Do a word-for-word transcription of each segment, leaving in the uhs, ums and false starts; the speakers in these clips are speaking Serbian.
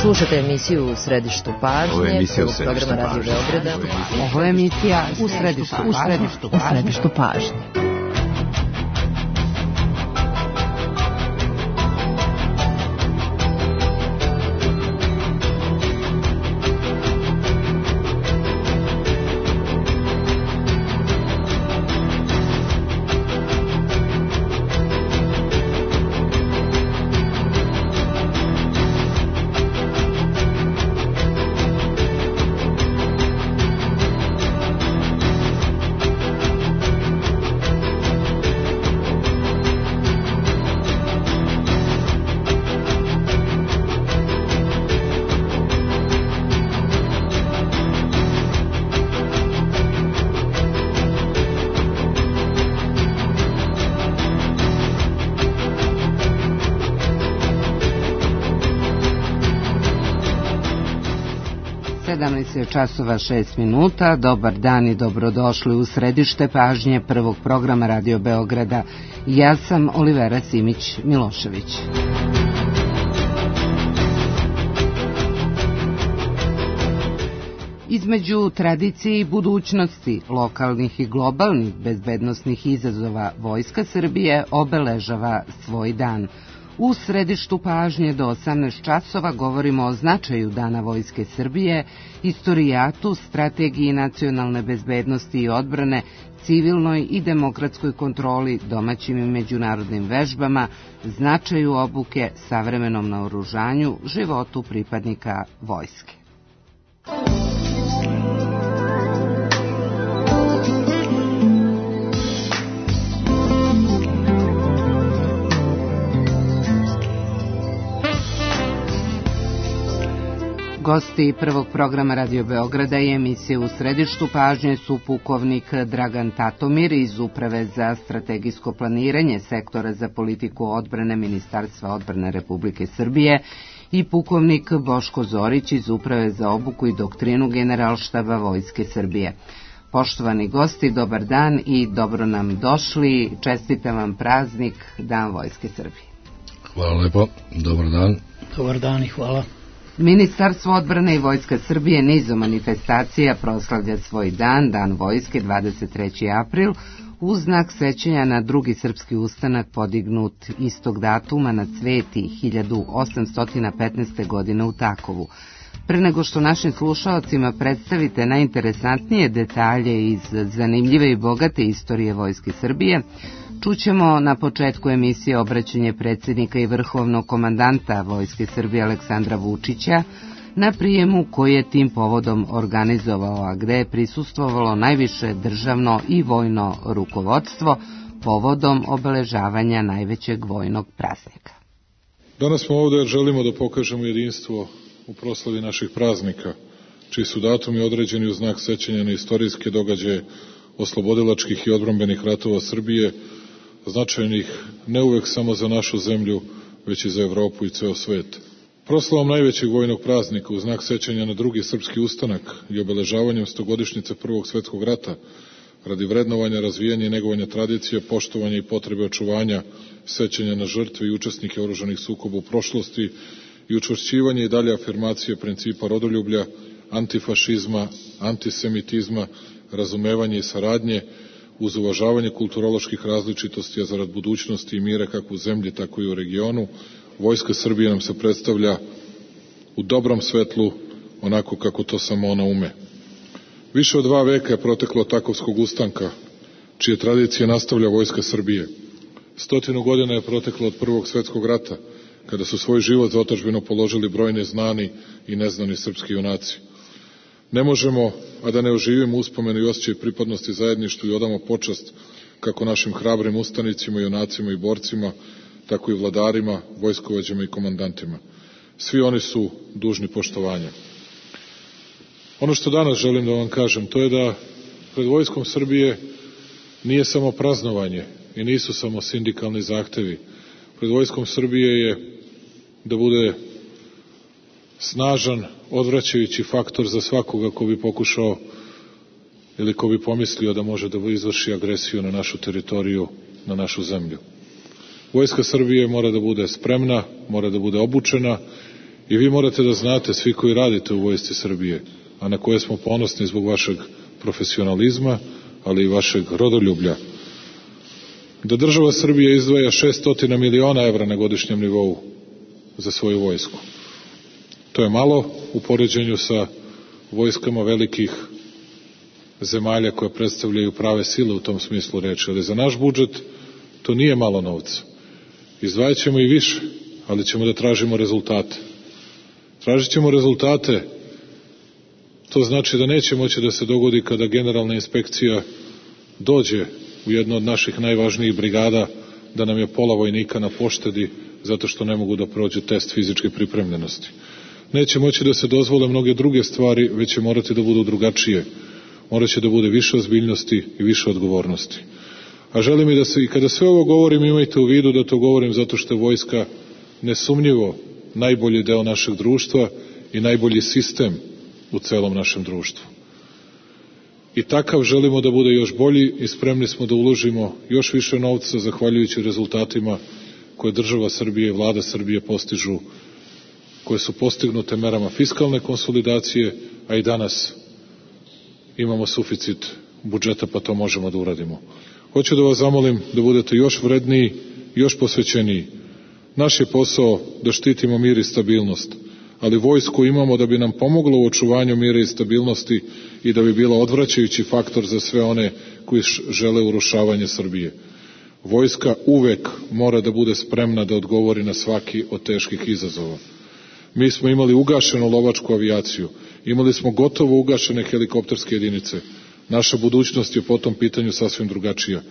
Slušate emisiju U središtu pažnje. Ovo je emisija U središtu pažnje. Radio Beograda. Ovo je emisija U središtu pažnje. U središtu pažnje. sedamnaest časova šest minuta. Dobar dan i dobrodošli u središte pažnje prvog programa Radio Beograda. Ja sam Olivera Simić Milošević. Između tradicije i budućnosti, lokalnih i globalnih bezbednosnih izazova, Vojska Srbije obeležava svoj dan. U središtu pažnje do osamnaest časova govorimo o značaju Dana Vojske Srbije, istorijatu, strategiji nacionalne bezbednosti i odbrane, civilnoj i demokratskoj kontroli, domaćim i međunarodnim vežbama, značaju obuke, savremenom naoružanju, životu pripadnika vojske. Gosti prvog programa Radio Beograda i emisije U središtu pažnje su pukovnik Dragan Tatomir iz Uprave za strategijsko planiranje Sektora za politiku odbrane Ministarstva odbrane Republike Srbije i pukovnik Boško Zorić iz Uprave za obuku i doktrinu Generalštaba Vojske Srbije. Poštovani gosti, dobar dan i dobro nam došli. Čestitam vam praznik Dan Vojske Srbije. Hvala lepo, dobar dan. Dobar dan i hvala. Ministarstvo odbrane i Vojska Srbije nizom manifestacija proslavlja svoj dan, Dan Vojske, dvadeset treći april, u znak sećanja na drugi srpski ustanak podignut istog datuma na Cveti hiljadu osamsto petnaeste. godine u Takovu. Pre nego što našim slušaocima predstavite najinteresantnije detalje iz zanimljive i bogate istorije Vojske Srbije, čućemo na početku emisije obraćanje predsjednika i vrhovnog komandanta Vojske Srbije Aleksandra Vučića na prijemu koji je tim povodom organizovao, a gde je prisustvovalo najviše državno i vojno rukovodstvo povodom obeležavanja najvećeg vojnog praznika. Danas smo ovdje jer želimo da pokažemo jedinstvo u proslavi naših praznika, čiji su datumi određeni u znak sećanja na istorijske događaje oslobodilačkih i odbrambenih ratova Srbije, značajnih ne uvek samo za našu zemlju, već i za Evropu i ceo svet. Proslavom najvećeg vojnog praznika u znak sećanja na drugi srpski ustanak i obeležavanjem stogodišnjice Prvog svetskog rata, radi vrednovanja, razvijanja i negovanja tradicije, poštovanja i potrebe očuvanja sećanja na žrtve i učesnike oružanih sukoba u prošlosti i učvršćivanje i dalje afirmacije principa rodoljublja, antifašizma, antisemitizma, razumevanje i saradnje, uz uvažavanje kulturoloških različitosti, a zarad budućnosti i mira kako u zemlji, tako i u regionu, Vojska Srbije nam se predstavlja u dobrom svetlu, onako kako to samo ona ume. Više od dva veka je proteklo od Takovskog ustanka, čije tradicije nastavlja Vojska Srbije. Stotinu godina je proteklo od Prvog svetskog rata, kada su svoj život za otadžbinu položili brojni znani i neznani srpski junaci. Ne možemo, a da ne oživimo uspomenu i osjećaj pripadnosti zajedništvu i odamo počast kako našim hrabrim ustanicima, junacima i borcima, tako i vladarima, vojskovođama i komandantima. Svi oni su dužni poštovanja. Ono što danas želim da vam kažem, to je da pred Vojskom Srbije nije samo praznovanje i nisu samo sindikalni zahtevi. Pred Vojskom Srbije je da bude snažan, odvraćajući faktor za svakoga ko bi pokušao ili ko bi pomislio da može da izvrši agresiju na našu teritoriju, na našu zemlju. Vojska Srbije mora da bude spremna, mora da bude obučena I vi morate da znate, svi koji radite u Vojsci Srbije, a na koje smo ponosni zbog vašeg profesionalizma, ali i vašeg rodoljublja, da država Srbija izdvaja šessto miliona evra na godišnjem nivou za svoju vojsku. To je malo u poređenju sa vojskama velikih zemalja koje predstavljaju prave sile u tom smislu reči, ali za naš budžet to nije malo novca. Izdvajat ćemo i više, ali ćemo da tražimo rezultate. Tražit ćemo rezultate, to znači da neće moći da se dogodi kada generalna inspekcija dođe u jednu od naših najvažnijih brigada, da nam je pola vojnika na poštedi zato što ne mogu da prođu test fizičke pripremljenosti. Neće moći da se dozvole mnoge druge stvari, već će morati da budu drugačije. Morat će da bude više ozbiljnosti i više odgovornosti. A želim i da se, i kada sve ovo govorim, imajte u vidu da to govorim zato što je vojska nesumnjivo najbolji deo našeg društva i najbolji sistem u celom našem društvu. I takav želimo da bude još bolji i spremni smo da uložimo još više novca zahvaljujući rezultatima koje država Srbije i vlada Srbije postižu, koje su postignute merama fiskalne konsolidacije, a i danas imamo suficit budžeta, pa to možemo da uradimo. Hoću da vas zamolim da budete još vredniji, još posvećeniji. Naš je posao da štitimo mir i stabilnost, ali vojsku imamo da bi nam pomoglo u očuvanju mira i stabilnosti i da bi bila odvraćajući faktor za sve one koji žele urušavanje Srbije. Vojska uvek mora da bude spremna da odgovori na svaki od teških izazova. Mi smo imali ugašenu lovačku avijaciju, imali smo gotovo ugašene helikopterske jedinice. Naša budućnost je po tom pitanju sasvim drugačija.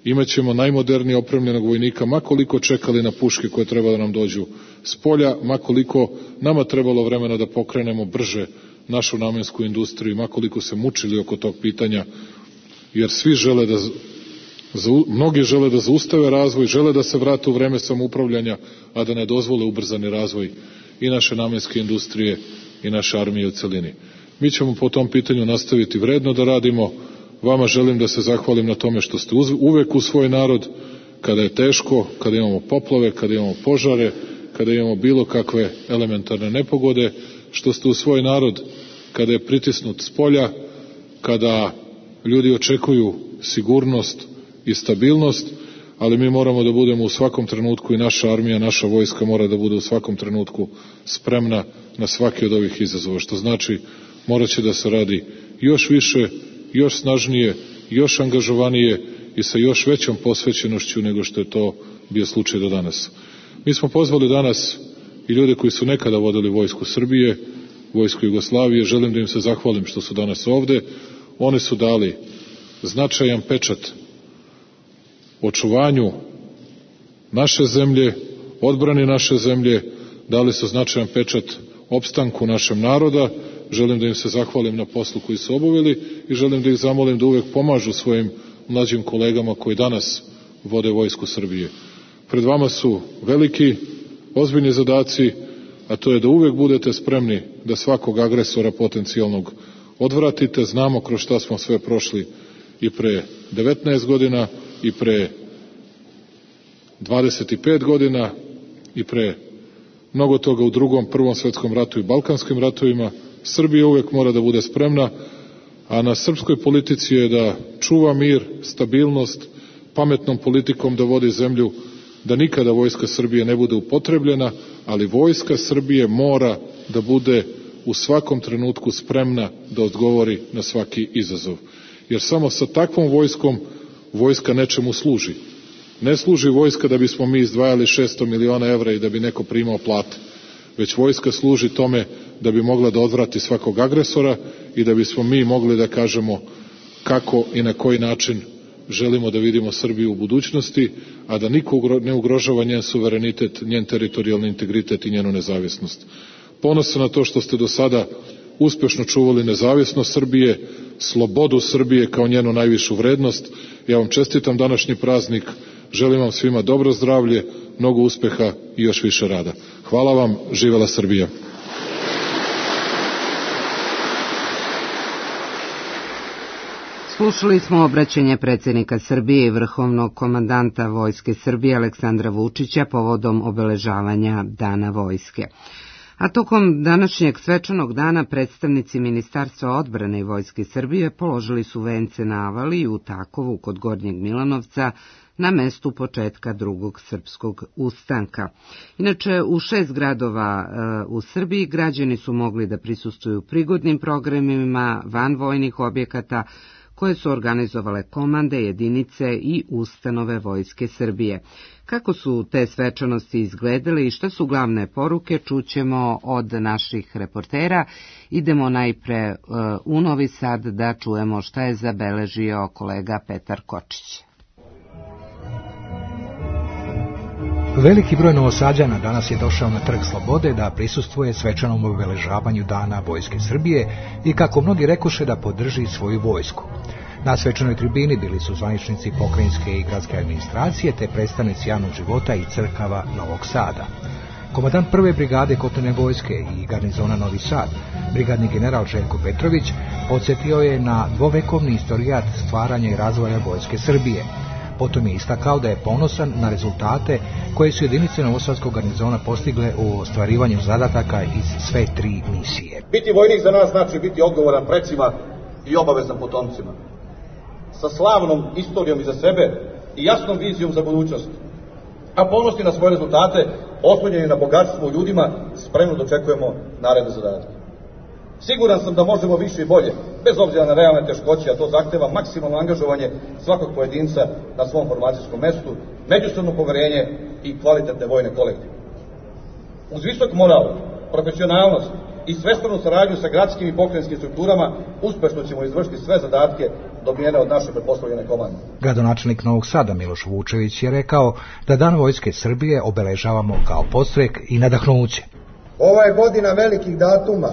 Imaćemo najmodernije opremljenog vojnika, makoliko čekali na puške koje treba da nam dođu s polja, makoliko nama trebalo vremena da pokrenemo brže našu namensku industriju, makoliko se mučili oko tog pitanja, jer svi žele da, mnogi žele da zaustave razvoj, žele da se vrate u vreme samoupravljanja, a da ne dozvole ubrzani razvoj i naše namenske industrije i naše armije u celini. Mi ćemo po tom pitanju nastaviti vredno da radimo. Vama želim da se zahvalim na tome što ste uvek u svoj narod, kada je teško, kada imamo poplave, kada imamo požare, kada imamo bilo kakve elementarne nepogode, što ste u svoj narod kada je pritisnut s polja, kada ljudi očekuju sigurnost i stabilnost, ali mi moramo da budemo u svakom trenutku i naša armija, naša vojska mora da bude u svakom trenutku spremna na svaki od ovih izazova, što znači morat će da se radi još više, još snažnije, još angažovanije i sa još većom posvećenošću nego što je to bio slučaj do danas. Mi smo pozvali danas i ljude koji su nekada vodili vojsku Srbije, vojsku Jugoslavije, želim da im se zahvalim što su danas ovde. Oni su dali značajan pečat očuvanju naše zemlje, odbrani naše zemlje, dali su značajan pečat opstanku našem naroda. Želim da im se zahvalim na poslu koji su obavili i želim da ih zamolim da uvek pomažu svojim mlađim kolegama koji danas vode vojsku Srbije. Pred vama su veliki, ozbiljni zadaci, a to je da uvek budete spremni da svakog agresora potencijalnog odvratite. Znamo kroz šta smo sve prošli i pre devetnaest godina, i pre dvadeset pet godina, i pre mnogo toga u drugom, prvom svetskom ratu i balkanskim ratovima. Srbija uvek mora da bude spremna, a na srpskoj politici je da čuva mir, stabilnost, pametnom politikom da vodi zemlju, da nikada vojska Srbije ne bude upotrebljena, ali vojska Srbije mora da bude u svakom trenutku spremna da odgovori na svaki izazov. Jer samo sa takvom vojskom vojska nečemu služi. Ne služi vojska da bismo mi izdvajali šesto miliona evra i da bi neko primao plate, već vojska služi tome da bi mogla da odvrati svakog agresora i da bismo mi mogli da kažemo kako i na koji način želimo da vidimo Srbiju u budućnosti, a da niko ne ugrožava njen suverenitet, njen teritorijalni integritet i njenu nezavisnost. Ponosan na to što ste do sada uspešno čuvali nezavisnost Srbije, slobodu Srbije kao njenu najvišu vrednost. Ja vam čestitam današnji praznik, želim vam svima dobro zdravlje, mnogo uspeha i još više rada. Hvala vam, živela Srbija. Slušali smo obraćanje predsjednika Srbije i vrhovnog komandanta Vojske Srbije Aleksandra Vučića povodom obeležavanja Dana vojske. A tokom današnjeg svečanog dana predstavnici Ministarstva odbrane i Vojske Srbije položili su vence na Avali u Takovu kod Gornjeg Milanovca na mestu početka drugog srpskog ustanka. Inače, u šest gradova e, u Srbiji građani su mogli da prisustvuju prigodnim programima van vojnih objekata koje su organizovale komande, jedinice i ustanove Vojske Srbije. Kako su te svečanosti izgledale i šta su glavne poruke, čućemo od naših reportera. Idemo najpre u Novi Sad da čujemo šta je zabeležio kolega Petar Kočić. Veliki broj Novosađana danas je došao na Trg Slobode da prisustvuje svečanom obeležavanju Dana Vojske Srbije i, kako mnogi rekoše, da podrži svoju vojsku. Na svečanoj tribini bili su zvaničnici pokrajinske i gradske administracije te predstavnici javnog života i crkava Novog Sada. Komandant prve brigade kopnene vojske i garnizona Novi Sad, brigadni general Željko Petrović, podsjetio je na dvovekovni istorijat stvaranja i razvoja Vojske Srbije. Potom je istakao da je ponosan na rezultate koje su jedinice Novosadskog garnizona postigle u ostvarivanju zadataka iz sve tri misije. Biti vojnik za nas znači biti odgovoran precima i obavezan potomcima. Sa slavnom istorijom iza sebe i jasnom vizijom za budućnost. A ponosni na svoje rezultate, oslonjeni na bogatstvo u ljudima, spremno dočekujemo naredne zadatke. Siguran sam da možemo više i bolje, bez obzira na realne teškoće, a to zahteva maksimalno angažovanje svakog pojedinca na svom formacijskom mestu, međusobno poverenje i kvalitetne vojne kolektive. Uz visok moral, profesionalnost i svestranu saradnju sa gradskim i pokrajinskim strukturama uspešno ćemo izvršiti sve zadatke dobijene od naše pretpostavljene komande. Gradonačelnik Novog Sada Miloš Vučević je rekao da Dan Vojske Srbije obeležavamo kao podstrek i nadahnuće. Ova je godina velikih datuma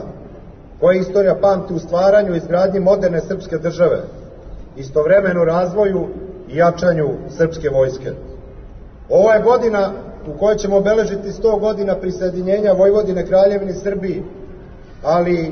koje istorija pamti u stvaranju i izgradnji moderne srpske države, istovremeno razvoju i jačanju srpske vojske. Ovo je godina u kojoj ćemo obeležiti sto godina prisjedinjenja Vojvodine Kraljevini Srbiji, ali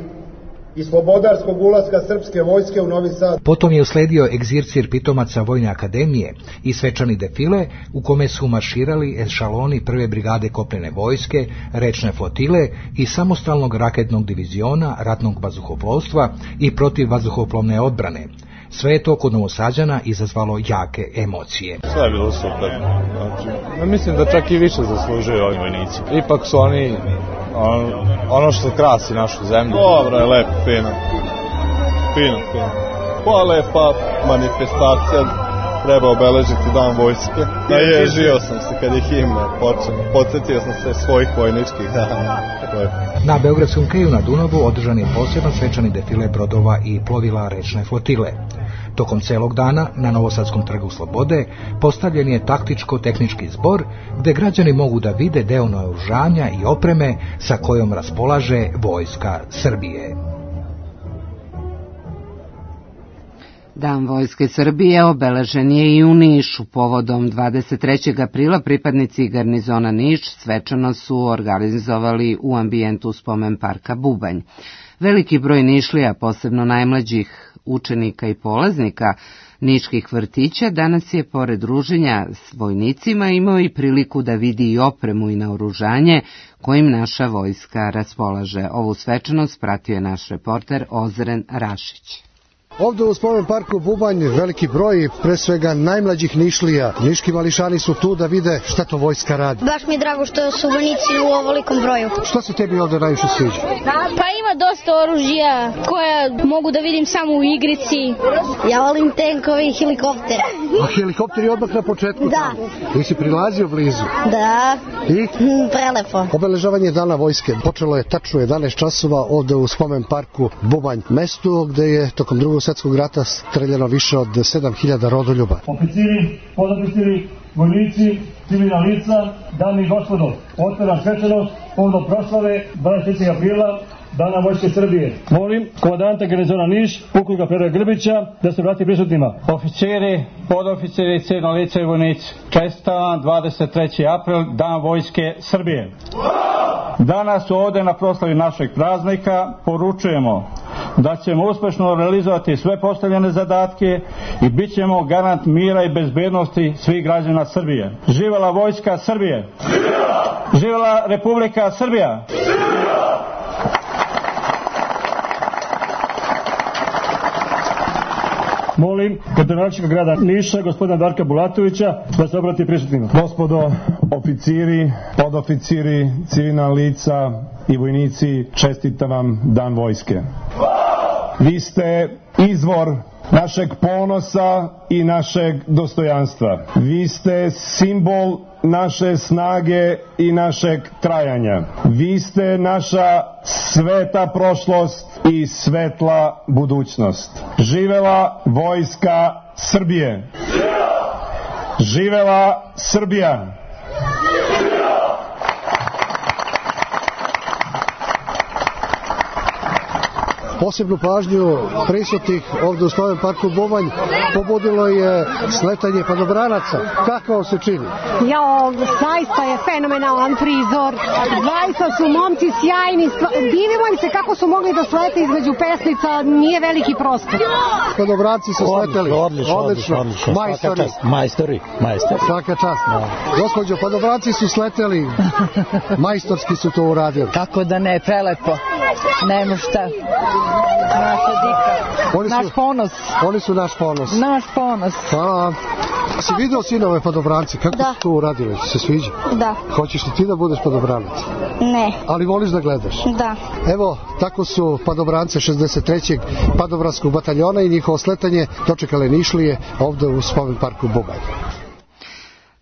i slobodarskog ulaska srpske vojske u Novi Sad. Potom je usledio egzircir pitomaca Vojne akademije i svečani defile u kome su marširali ešaloni prve brigade kopnene vojske, rečne flotile i samostalnog raketnog diviziona ratnog vazduhoplovstva i protivvazduhoplovne odbrane. Sve je to kod Novosađana izazvalo jake emocije. Sve je bilo super. Znači, mislim da čak i više zaslužuju ovi vojnici. Ipak su oni on, ono što krasi našu zemlju. Dobro je, lepo, fino. Fino, fino. Pa lepa manifestacija, treba obeležiti Dan vojske. Naježio sam se kad je himna počela. Podsjetio sam se svojih vojničkih dana. Na Beogradskom keju na Dunavu održan je poseban svečani defile brodova i plovila rečne flotile. Tokom celog dana na Novosadskom trgu Slobode postavljen je taktičko-tehnički zbor gde građani mogu da vide deo naoružanja i opreme sa kojom raspolaže Vojska Srbije. Dan Vojske Srbije obeležen je i u Nišu. Povodom dvadeset trećeg aprila pripadnici garnizona Niš svečano su organizovali u ambijentu spomen parka Bubanj. Veliki broj Nišlija, posebno najmlađih učenika i polaznika niških vrtića, danas je pored druženja s vojnicima imao i priliku da vidi i opremu i naoružanje kojim naša vojska raspolaže. Ovu svečanost pratio je naš reporter Ozren Rašić. Ovdje u spomen parku Bubanj veliki broj, pre svega najmlađih Nišlija. Niški mališani su tu da vide šta to vojska radi. Baš mi je drago što su vojnici u ovolikom broju. Što se tebi ovdje najviše sviđa? Pa ima dosta oružja koja mogu da vidim samo u igrici. Ja volim tenkove i helikoptere. A helikopter je odmah na početku? Da. Ti si prilazio blizu? Da. I? Prelepo. Obeležavanje Dana vojske počelo je tačno jedanaest časova ovdje u spomen parku Bubanj, mestu gde je tokom drugog svjetskog rata streljano više od sedam hiljada rodoljuba. Oficiri, podoficiri, vojnici, civilna lica, dame i gospodo, otvara svečanost povodom proslave dvadeset trećeg aprila Dana Vojske Srbije. Molim komandanta garnizona Niš, pukovnika Petra Grbića, da se vrati prisutnima. Oficiri, podoficiri, civilna lica i vojnici, čestitam dvadeset treći april, Dan Vojske Srbije. Danas ovdje na proslavi našeg praznika poručujemo da ćemo uspešno realizovati sve postavljene zadatke i bit ćemo garant mira i bezbednosti svih građana Srbije. Živela Vojska Srbije! Živela Republika Srbija! Molim gradonačelnika grada Niša, gospodina Darka Bulatovića, da se obrati prisutnima. Gospodo oficiri, podoficiri, civilna lica i vojnici, čestitam vam Dan vojske. Vi ste izvor našeg ponosa i našeg dostojanstva. Vi ste simbol naše snage i našeg trajanja. Vi ste naša sveta prošlost i svetla budućnost. Živela Vojska Srbije! Živela Srbija! Posebnu pažnju prisutnih ovdje u Spomen parku Bubanj pobudilo je sletanje padobranaca. Kako vam se čini? Jo, zaista je fenomenalan prizor. Zaista su momci sjajni. Divimo im se kako su mogli da slete između pesnica. Nije veliki prostor. Padobranci su sleteli. Odlično, odlično, odlično. Majstori. Majstori, majstori. Svaka čast. Gospođo, padobranci su sleteli. Majstorski su to uradili. Kako da ne, prelepo. Nemo šta. Naša dika. Oni su, naš ponos. Oni su naš ponos. Naš ponos. Hvala. Si vidio sinove padobranci? Kako da. su to uradili? Se sviđa? Da. Hoćeš li ti da budeš padobranac? Ne. Ali voliš da gledaš? Da. Evo, tako su padobrance šezdeset trećeg padobranskog bataljona i njihovo sletanje dočekale Nišlije ovdje u Spomen parku Bubanj.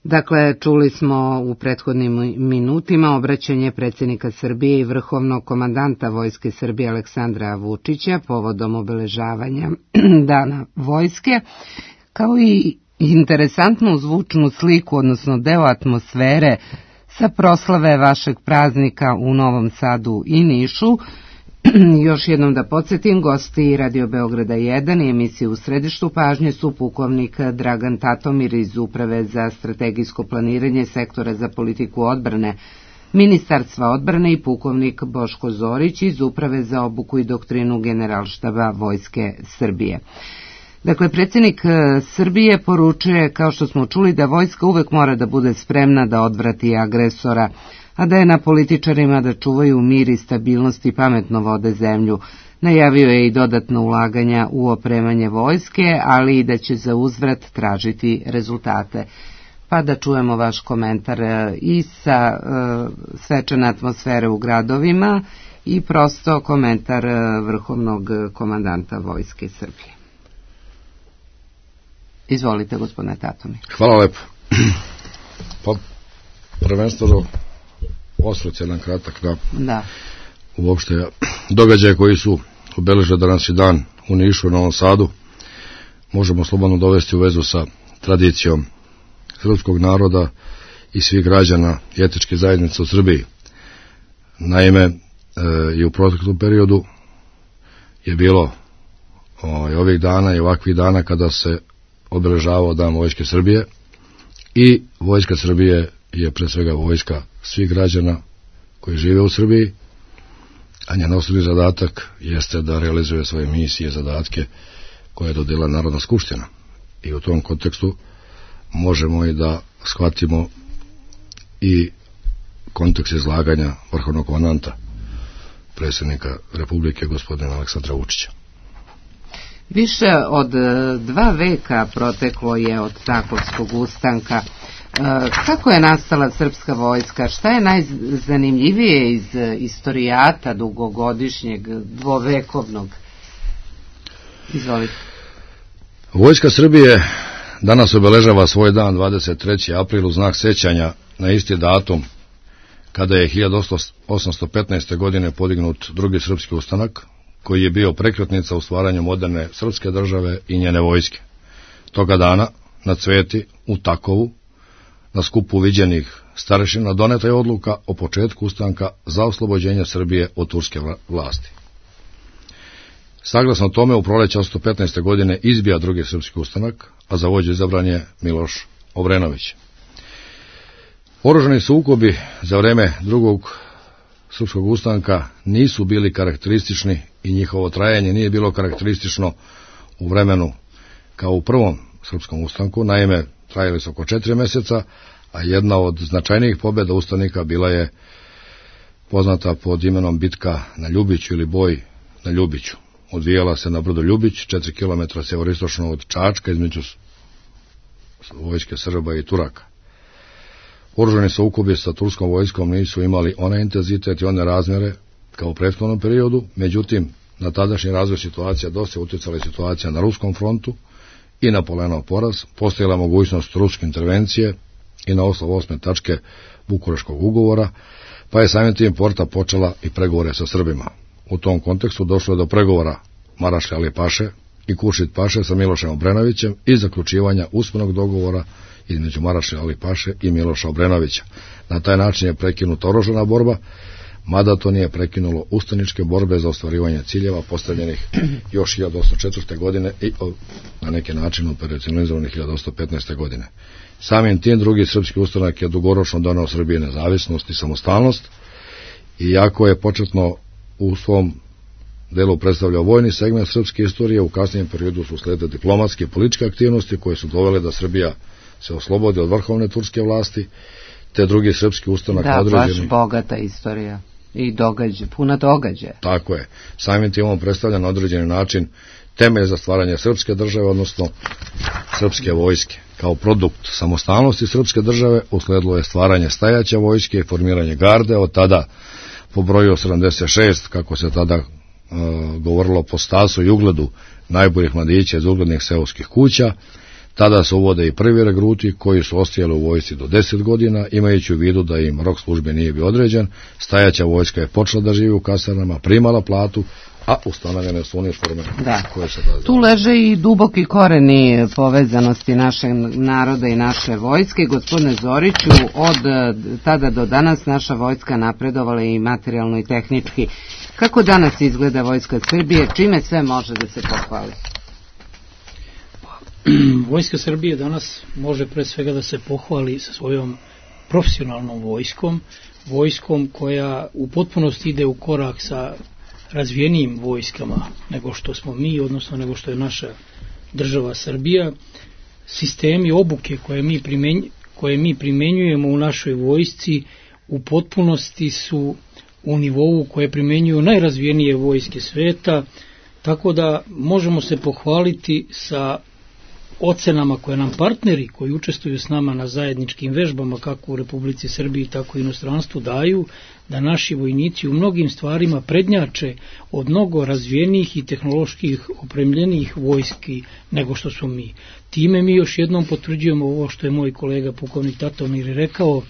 Dakle, čuli smo u prethodnim minutima obraćanje predsjednika Srbije i vrhovnog komandanta Vojske Srbije Aleksandra Vučića povodom obeležavanja Dana vojske, kao i interesantnu zvučnu sliku, odnosno deo atmosfere sa proslave vašeg praznika u Novom Sadu i Nišu. Još jednom da podsjetim, gosti Radio Beograda jedan i emisije U središtu pažnje su pukovnik Dragan Tatomir iz Uprave za strategijsko planiranje sektora za politiku odbrane Ministarstva odbrane i pukovnik Boško Zorić iz Uprave za obuku i doktrinu Generalštaba Vojske Srbije. Dakle, predsjednik Srbije poručuje, kao što smo čuli, da vojska uvek mora da bude spremna da odvrati agresora, a da je na političarima da čuvaju mir i stabilnost i pametno vode zemlju. Najavio je i dodatno ulaganja u opremanje vojske, ali i da će za uzvrat tražiti rezultate. Pa da čujemo vaš komentar i sa uh, svečane atmosfere u gradovima i prosto komentar vrhovnog komandanta Vojske Srbije. Izvolite, gospodine Tatomir. Hvala lepo. Pa, prvenstveno osvrt jedan kratak na da. uopšte događaje koji su obeležili danas i dan u Nišu, u Novom Sadu. Možemo slobodno dovesti u vezu sa tradicijom srpskog naroda i svih građana i etničke zajednice u Srbiji. Naime, e, i u proteklom periodu je bilo o, i ovih dana i ovakvih dana kada se obeležavao Dan Vojske Srbije i Vojska Srbije je pre svega vojska svih građana koji žive u Srbiji, a njen osnovni zadatak jeste da realizuje svoje misije i zadatke koje je dodela Narodna skupština. I u tom kontekstu možemo i da shvatimo i kontekst izlaganja vrhovnog komandanta predsjednika Republike gospodina Aleksandra Vučića. Više od dva veka proteklo je od Takovskog ustanka. Kako je nastala srpska vojska? Šta je najzanimljivije iz istorijata dugogodišnjeg, dvovekovnog? Izvolite. Vojska Srbije danas obeležava svoj dan dvadeset trećeg aprila u znak sećanja na isti datum kada je hiljadu osamsto petnaeste. godine podignut drugi srpski ustanak, koji je bio prekretnica u stvaranju moderne srpske države i njene vojske. Toga dana na Cveti u Takovu, na skupu viđenih starešina, doneta je odluka o početku ustanka za oslobođenje Srbije od turske vlasti. Saglasno tome, u proleće osamsto petnaeste. godine izbija drugi srpski ustanak, a za vođu izabran je Miloš Obrenović. Oružani sukobi za vreme drugog srpskog ustanka nisu bili karakteristični i njihovo trajanje nije bilo karakteristično u vremenu kao u prvom srpskom ustanku. Naime, trajali su oko četiri meseca, a jedna od značajnijih pobjeda ustanika bila je poznata pod imenom bitka na Ljubiću ili boj na Ljubiću. odvijala se na brdu Ljubić, četiri kilometra severistočno od Čačka, između vojske Srba i Turaka. Oružani sukobi sa turskom vojskom nisu imali onaj intenzitet i one razmjere kao u prethodnom periodu, međutim, na tadašnji razvoj situacija dosta utjecala situacija na ruskom frontu i na Polenov poraz, postojala mogućnost ruske intervencije i na osnovu osme tačke Bukureškog ugovora, pa je samim tim Porta počela i pregovore sa Srbima. U tom kontekstu došlo je do pregovora Marašlja Ali Paše i Kuršit Paše sa Milošem Obrenovićem i zaključivanja usmenog dogovora između Marašlja Ali Paše i Miloša Obrenovića. Na taj način je prekinuta oružana borba, mada to nije prekinulo ustaničke borbe za ostvarivanje ciljeva postavljenih još hiljadu osamsto četvrte. godine i na neki način operacionalizovanih hiljadu osamsto petnaeste. godine. Samim tim drugi srpski ustanak je dugoročno donao Srbiji nezavisnost i samostalnost, iako je početno u svom delu predstavljao vojni segment srpske istorije, u kasnijem periodu su sledile diplomatske i političke aktivnosti koje su dovele da Srbija se oslobodi od vrhovne turske vlasti, te drugi srpski ustanak da, određeni... baš bogata istorija i događaj, puna događaja. Tako je. Samim tim on predstavlja na određeni način temelj za stvaranje srpske države, odnosno srpske vojske. Kao produkt samostalnosti srpske države usledilo je stvaranje stajaće vojske i formiranje garde, od tada po broju sedamdeset šest, kako se tada uh, govorilo po stasu i ugledu najboljih mladića iz uglednih seoskih kuća. Tada se uvode i prvi regruti koji su ostajali u vojsci do deset godina, imajući u vidu da im rok službe nije bio određen. Stajaća vojska je počela da živi u kasarnama, primala platu, a ustanovljene su uniforme da. koje se da... Tu leže i duboki koreni povezanosti našeg naroda i naše vojske. Gospodine Zoriću, od tada do danas naša vojska napredovala i materijalno i tehnički. Kako danas izgleda vojska Srbije? Čime sve može da se pohvali? Vojska Srbije danas može pre svega da se pohvali sa svojom profesionalnom vojskom, vojskom koja u potpunosti ide u korak sa razvijenijim vojskama nego što smo mi, odnosno nego što je naša država Srbija. Sistemi obuke koje mi, primenj, koje mi primenjujemo u našoj vojsci u potpunosti su u nivou koje primenjuju najrazvijenije vojske sveta, tako da možemo se pohvaliti sa ocenama koje nam partneri koji učestvuju s nama na zajedničkim vežbama kako u Republici Srbiji tako i inostranstvu daju, da naši vojnici u mnogim stvarima prednjače od mnogo razvijenijih i tehnoloških opremljenih vojski nego što smo mi. Time mi još jednom potvrđujemo ovo što je moj kolega pukovnik Tatomir rekao,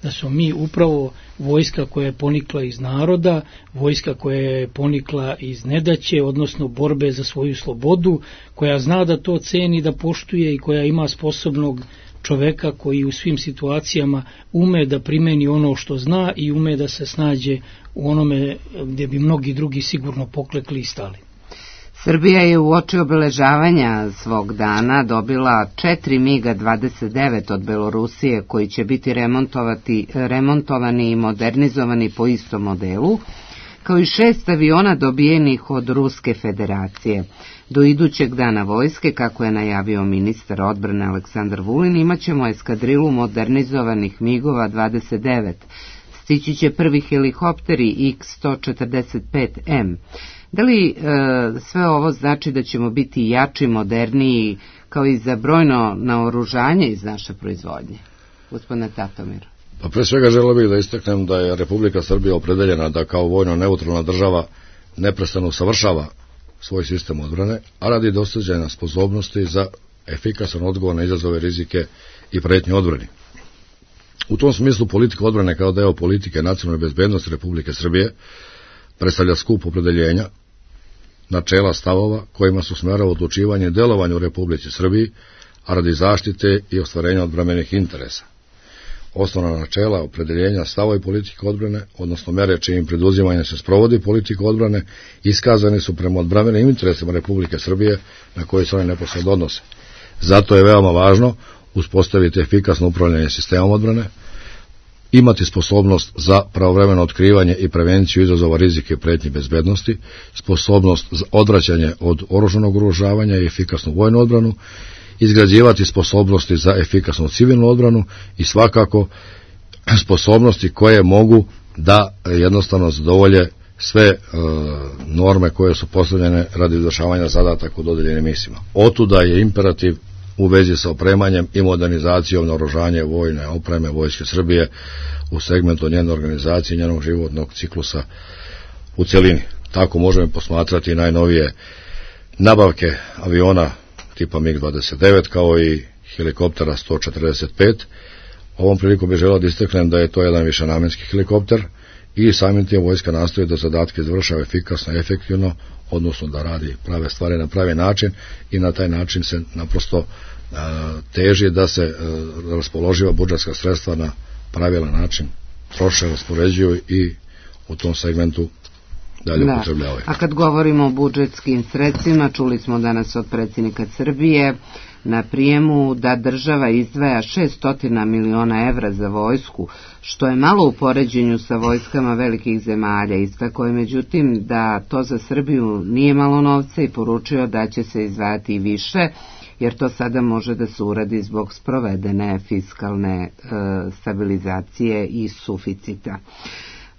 da smo mi upravo vojska koja je ponikla iz naroda, vojska koja je ponikla iz nedaće, odnosno borbe za svoju slobodu, koja zna da to ceni, da poštuje i koja ima sposobnog čoveka koji u svim situacijama ume da primeni ono što zna i ume da se snađe u onome gdje bi mnogi drugi sigurno poklekli i stali. Srbija je u oči obeležavanja svog dana dobila četiri miga dvadeset devet od Belorusije koji će biti remontovati, remontovani i modernizovani po istom modelu, kao i šest aviona dobijenih od Ruske federacije. Do idućeg dana vojske, kako je najavio ministar odbrane Aleksandar Vulin, imaćemo eskadrilu modernizovanih migova dvadeset devet. Stići će prvi helikopteri iks sto četrdeset pet em. Da li e, sve ovo znači da ćemo biti jači, moderniji, kao i za brojno naoružanje iz naše proizvodnje? Gospodine Tatomir. Pa pre svega želeo bih da istaknem da je Republika Srbija opredeljena da kao vojno neutralna država neprestano usavršava svoj sistem odbrane, a radi dosađenja sposobnosti za efikasan odgovor na izazove, rizike i pretnje odbrani. U tom smislu politika odbrane kao deo politike nacionalne bezbednosti Republike Srbije predstavlja skup opredeljenja, načela, stavova kojima se usmerava odlučivanje i delovanje u Republici Srbiji, a radi zaštite i ostvarenja odbrambenih interesa. Osnovna načela, opredeljenja, stava i politike odbrane, odnosno mere čijim preduzimanje se sprovodi politika odbrane, iskazani su prema odbrambenim interesima Republike Srbije na koje se one neposredno odnose. Zato je veoma važno uspostaviti efikasno upravljanje sistemom odbrane, imati sposobnost za pravovremeno otkrivanje i prevenciju izazova, rizike i pretnji bezbednosti, sposobnost za odvraćanje od oružanog ugrožavanja i efikasnu vojnu odbranu, izgrađivati sposobnosti za efikasnu civilnu odbranu i svakako sposobnosti koje mogu da jednostavno zadovolje sve e, norme koje su postavljene radi izvršavanja zadataka u dodeljenim misijama. Otuda je imperativ u vezi sa opremanjem i modernizacijom naoružanja vojne opreme Vojske Srbije u segmentu njene organizacije i njenog životnog ciklusa u celini. Tako možemo posmatrati najnovije nabavke aviona tipa mig dvadeset devet kao i helikoptera sto četrdeset pet. Ovom prilikom bih želeo da istaknem da je to jedan višenamenski helikopter i samim tim vojska nastoji da zadatke završava efikasno i efektivno, odnosno da radi prave stvari na pravi način i na taj način se naprosto a, teži da se a, raspoloživa budžetska sredstva na pravilan način troše, raspoređuju i u tom segmentu dalje da. upotrebljavaju. A kad govorimo o budžetskim sredstvima, čuli smo danas od predsjednika Srbije na prijemu da država izdvaja šessto miliona evra za vojsku, što je malo u poređenju sa vojskama velikih zemalja. Istakao je međutim da to za Srbiju nije malo novca i poručio da će se izdvajati i više, jer to sada može da se uradi zbog sprovedene fiskalne e, stabilizacije i suficita.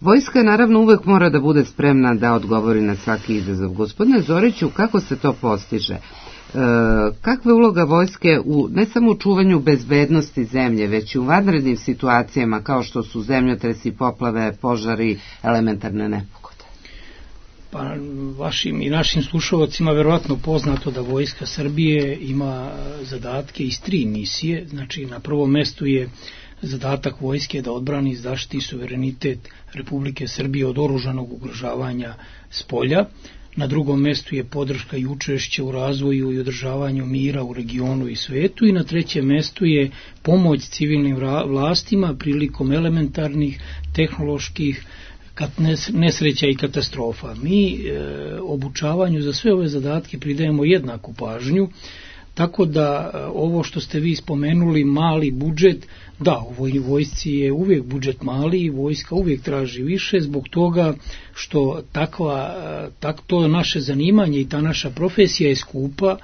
Vojska naravno uvek mora da bude spremna da odgovori na svaki izazov. Gospodine Zoriću, kako se to postiže? E, kakva je uloga vojske u ne samo u čuvanju bezbednosti zemlje, već i u vanrednim situacijama kao što su zemljotresi, poplave, požari, elementarne nepogode? Pa vašim i našim slušalcima verovatno poznato da Vojska Srbije ima zadatke iz tri misije. Znači na prvom mestu je zadatak vojske da odbrani i zaštiti suverenitet Republike Srbije od oružanog ugrožavanja s polja. Na drugom mestu je podrška i učešće u razvoju i održavanju mira u regionu i svetu i na trećem mestu je pomoć civilnim vlastima prilikom elementarnih, tehnoloških nesreća i katastrofa. Mi e, obučavanju za sve ove zadatke pridajemo jednaku pažnju, tako da ovo što ste vi spomenuli, mali budžet, da, u vojsci je uvijek budžet mali i vojska uvijek traži više zbog toga što takva, tak, to naše zanimanje i ta naša profesija je skupa,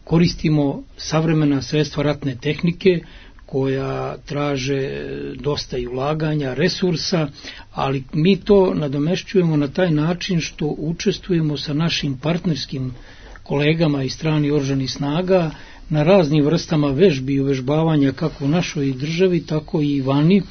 koristimo savremena sredstva ratne tehnike koja traže dosta i ulaganja, resursa, ali mi to nadomešćujemo na taj način što učestvujemo sa našim partnerskim kolegama iz strani oružanih snaga na raznim vrstama vežbi i uvežbavanja kako u našoj državi, tako i vani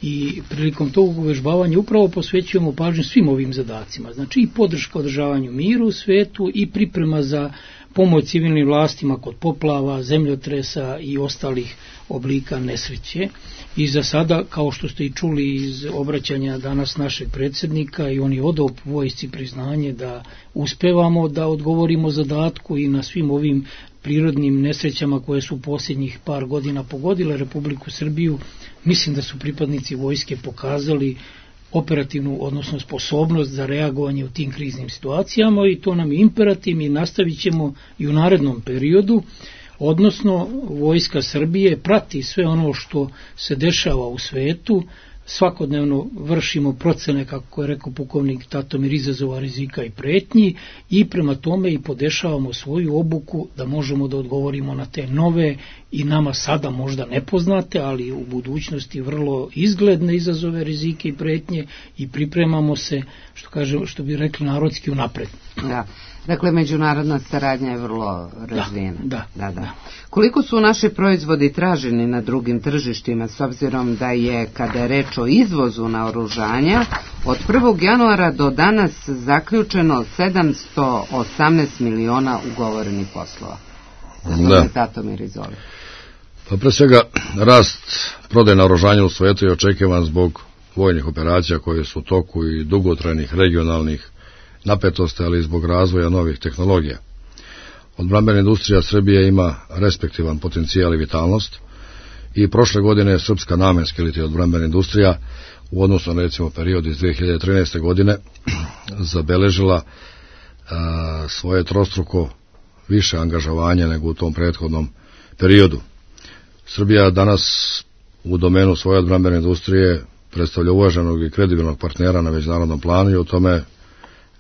i prilikom tog uvežbavanja upravo posvećujemo pažnju svim ovim zadacima. Znači i podrška održavanju miru u svetu i priprema za pomoć civilnim vlastima kod poplava, zemljotresa i ostalih oblika nesreće. I za sada, kao što ste i čuli iz obraćanja danas našeg predsjednika, i on je odao vojsci priznanje da uspevamo da odgovorimo zadatku i na svim ovim prirodnim nesrećama koje su posljednjih par godina pogodile Republiku Srbiju, mislim da su pripadnici vojske pokazali operativnu, odnosno sposobnost za reagovanje u tim kriznim situacijama i to nam je imperativ i nastavit ćemo i u narednom periodu, odnosno Vojska Srbije prati sve ono što se dešava u svetu, svakodnevno vršimo procene, kako je rekao pukovnik Tatomir, izazova, rizika i pretnji i prema tome i podešavamo svoju obuku da možemo da odgovorimo na te nove i nama sada možda nepoznate, ali u budućnosti vrlo izgledne izazove, rizike i pretnje i pripremamo se, što, kažem, što bi rekli narodski, unapred. Da. Dakle, međunarodna saradnja je vrlo razvijena. Da, da, da. Koliko su naši proizvodi traženi na drugim tržištima, s obzirom da je, kada je reč o izvozu naoružanja, od prvog januara do danas zaključeno sedamsto osamnaest miliona ugovorenih poslova? Da. Tatomir, izvoli. Pa pre svega, rast prodaje naoružanja u svijetu je očekivan zbog vojnih operacija koje su u toku i dugotrajnih regionalnih napetosti, ali i zbog razvoja novih tehnologija. Odbrambena industrija Srbije ima respektivan potencijal i vitalnost i prošle godine je srpska namenska ili odbrambena industrija u odnosu na recimo period iz dve hiljade trinaeste. godine zabeležila a, svoje trostruko više angažovanja nego u tom prethodnom periodu. Srbija danas u domenu svoje odbrambene industrije predstavlja uvaženog i kredibilnog partnera na međunarodnom planu i o tome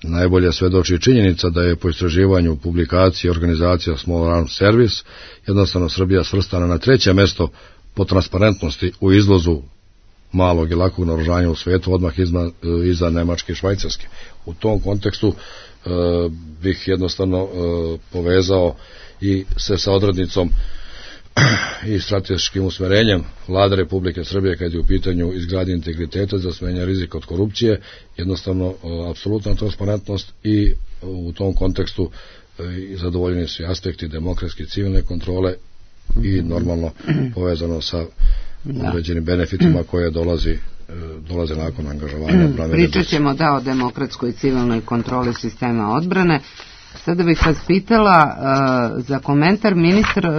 najbolje svedoči činjenica da je po istraživanju publikacije organizacija Small Arms Service jednostavno Srbija svrstana na treće mesto po transparentnosti u izvozu malog i lakog naoružanja u svetu, odmah izma, iza Nemačke i Švajcarske. U tom kontekstu e, bih jednostavno e, povezao i se sa odrednicom i strateškim usmerenjem Vlade Republike Srbije kad je u pitanju izgradnje integriteta za smanjenje rizika od korupcije, jednostavno e, apsolutna transparentnost i u tom kontekstu i zadovoljeni su i aspekti demokratske civilne kontrole i normalno povezano sa određenim benefitima koje dolazi, dolaze nakon angažovanja. Pričat ćemo da o demokratskoj civilnoj kontroli sistema odbrane. Sada bih vas pitala uh, za komentar. Ministar uh,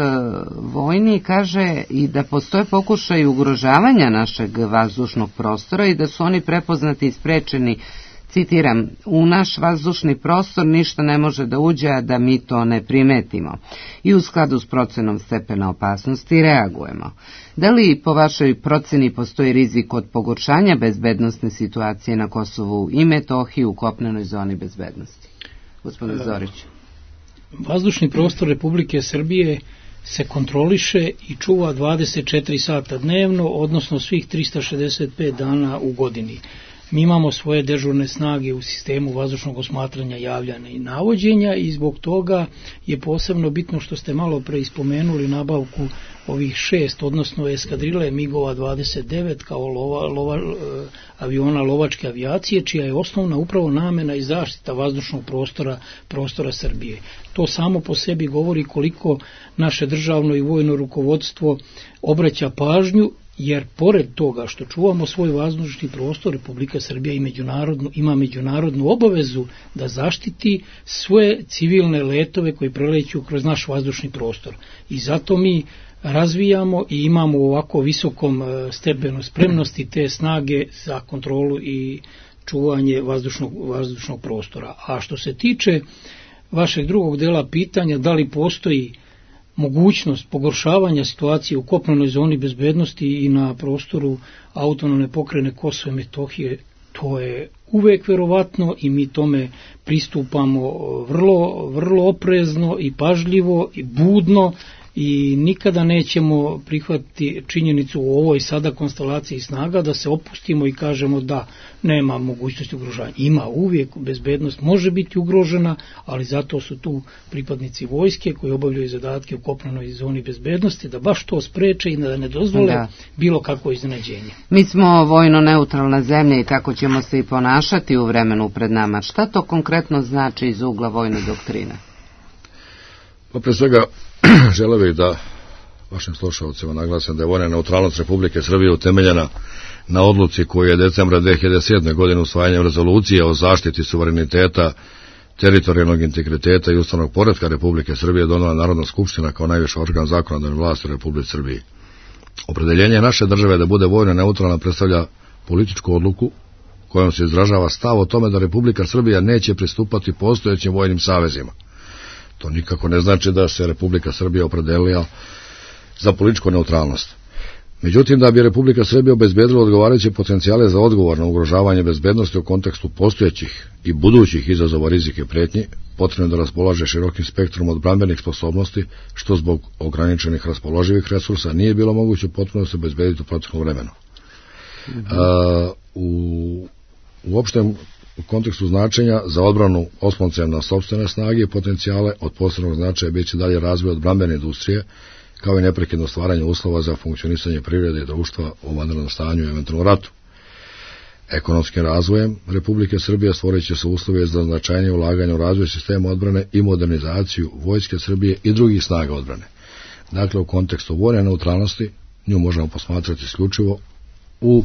vojni kaže i da postoje pokušaj ugrožavanja našeg vazdušnog prostora i da su oni prepoznati i sprečeni, citiram, u naš vazdušni prostor ništa ne može da uđe, a da mi to ne primetimo. I u skladu s procenom stepena opasnosti reagujemo. Da li po vašoj proceni postoji rizik od pogoršanja bezbednosne situacije na Kosovu i Metohiji u kopnenoj zoni bezbednosti? Gospodin Zorić. Vazdušni prostor Republike Srbije se kontroliše i čuva dvadeset četiri sata dnevno, odnosno svih trista šezdeset pet dana u godini. Mi imamo svoje dežurne snage u sistemu vazdušnog osmatranja, javljanja i navođenja i zbog toga je posebno bitno što ste malo pre ispomenuli nabavku ovih šest, odnosno eskadrile migova dvadeset devet kao lova, lova, aviona lovačke avijacije, čija je osnovna upravo namena i zaštita vazdušnog prostora, prostora Srbije. To samo po sebi govori koliko naše državno i vojno rukovodstvo obraća pažnju, jer pored toga što čuvamo svoj vazdušni prostor, Republika Srbija i međunarodnu, ima međunarodnu obavezu da zaštiti sve civilne letove koji preleću kroz naš vazdušni prostor. I zato mi razvijamo i imamo u ovako visokom stepenu spremnosti te snage za kontrolu i čuvanje vazdušnog, vazdušnog prostora. A što se tiče vašeg drugog dela pitanja, da li postoji mogućnost pogoršavanja situacije u kopnenoj zoni bezbednosti i na prostoru autonomne pokrajine Kosova i Metohije, to je uvek verovatno i mi tome pristupamo vrlo, vrlo oprezno i pažljivo i budno i nikada nećemo prihvatiti činjenicu u ovoj sada konstelaciji snaga da se opustimo i kažemo da nema mogućnosti ugrožavanja. Ima uvijek, bezbednost može biti ugrožena, ali zato su tu pripadnici vojske koji obavljaju zadatke u kopnenoj zoni bezbednosti da baš to spreče i da ne dozvole da. bilo kakvo iznenađenje. Mi smo vojno neutralna zemlja i tako ćemo se i ponašati u vremenu pred nama. Šta to konkretno znači iz ugla vojne doktrine? Pa pre svega želeo bih da vašim slušalcima naglasim da je vojna neutralnost Republike Srbije utemeljena na odluci koju je decembra dve hiljade sedme. godine usvajanjem rezolucije o zaštiti suvereniteta, teritorijalnog integriteta i ustavnog poretka Republike Srbije donela Narodna skupština kao najviši organ zakonodavne vlasti u Republici Srbiji. Opredeljenje naše države da bude vojno neutralna predstavlja političku odluku kojom se izražava stav o tome da Republika Srbija neće pristupati postojećim vojnim savezima. To nikako ne znači da se Republika Srbija opredelila za političku neutralnost. Međutim, da bi Republika Srbija obezbedila odgovarajuće potencijale za odgovor na ugrožavanje bezbednosti u kontekstu postojećih i budućih izazova, rizike i pretnji, potrebno da raspolaže širokim spektrom odbrambenih sposobnosti, što zbog ograničenih raspoloživih resursa nije bilo moguće potpuno se obezbediti u proteklom vremenu. Mm-hmm. A, u, u opštem u kontekstu značenja za odbranu osloncem na sopstvene snage i potencijale od posebnog značaja biće dalje razvoj odbrambene industrije, kao i neprekidno stvaranje uslova za funkcionisanje privrede i društva u vanrednom stanju i eventualnom ratu. Ekonomskim razvojem Republike Srbije stvorit će se uslove za značajnije ulaganje u razvoj sistema odbrane i modernizaciju Vojske Srbije i drugih snaga odbrane. Dakle, u kontekstu vojne neutralnosti nju možemo posmatrati isključivo u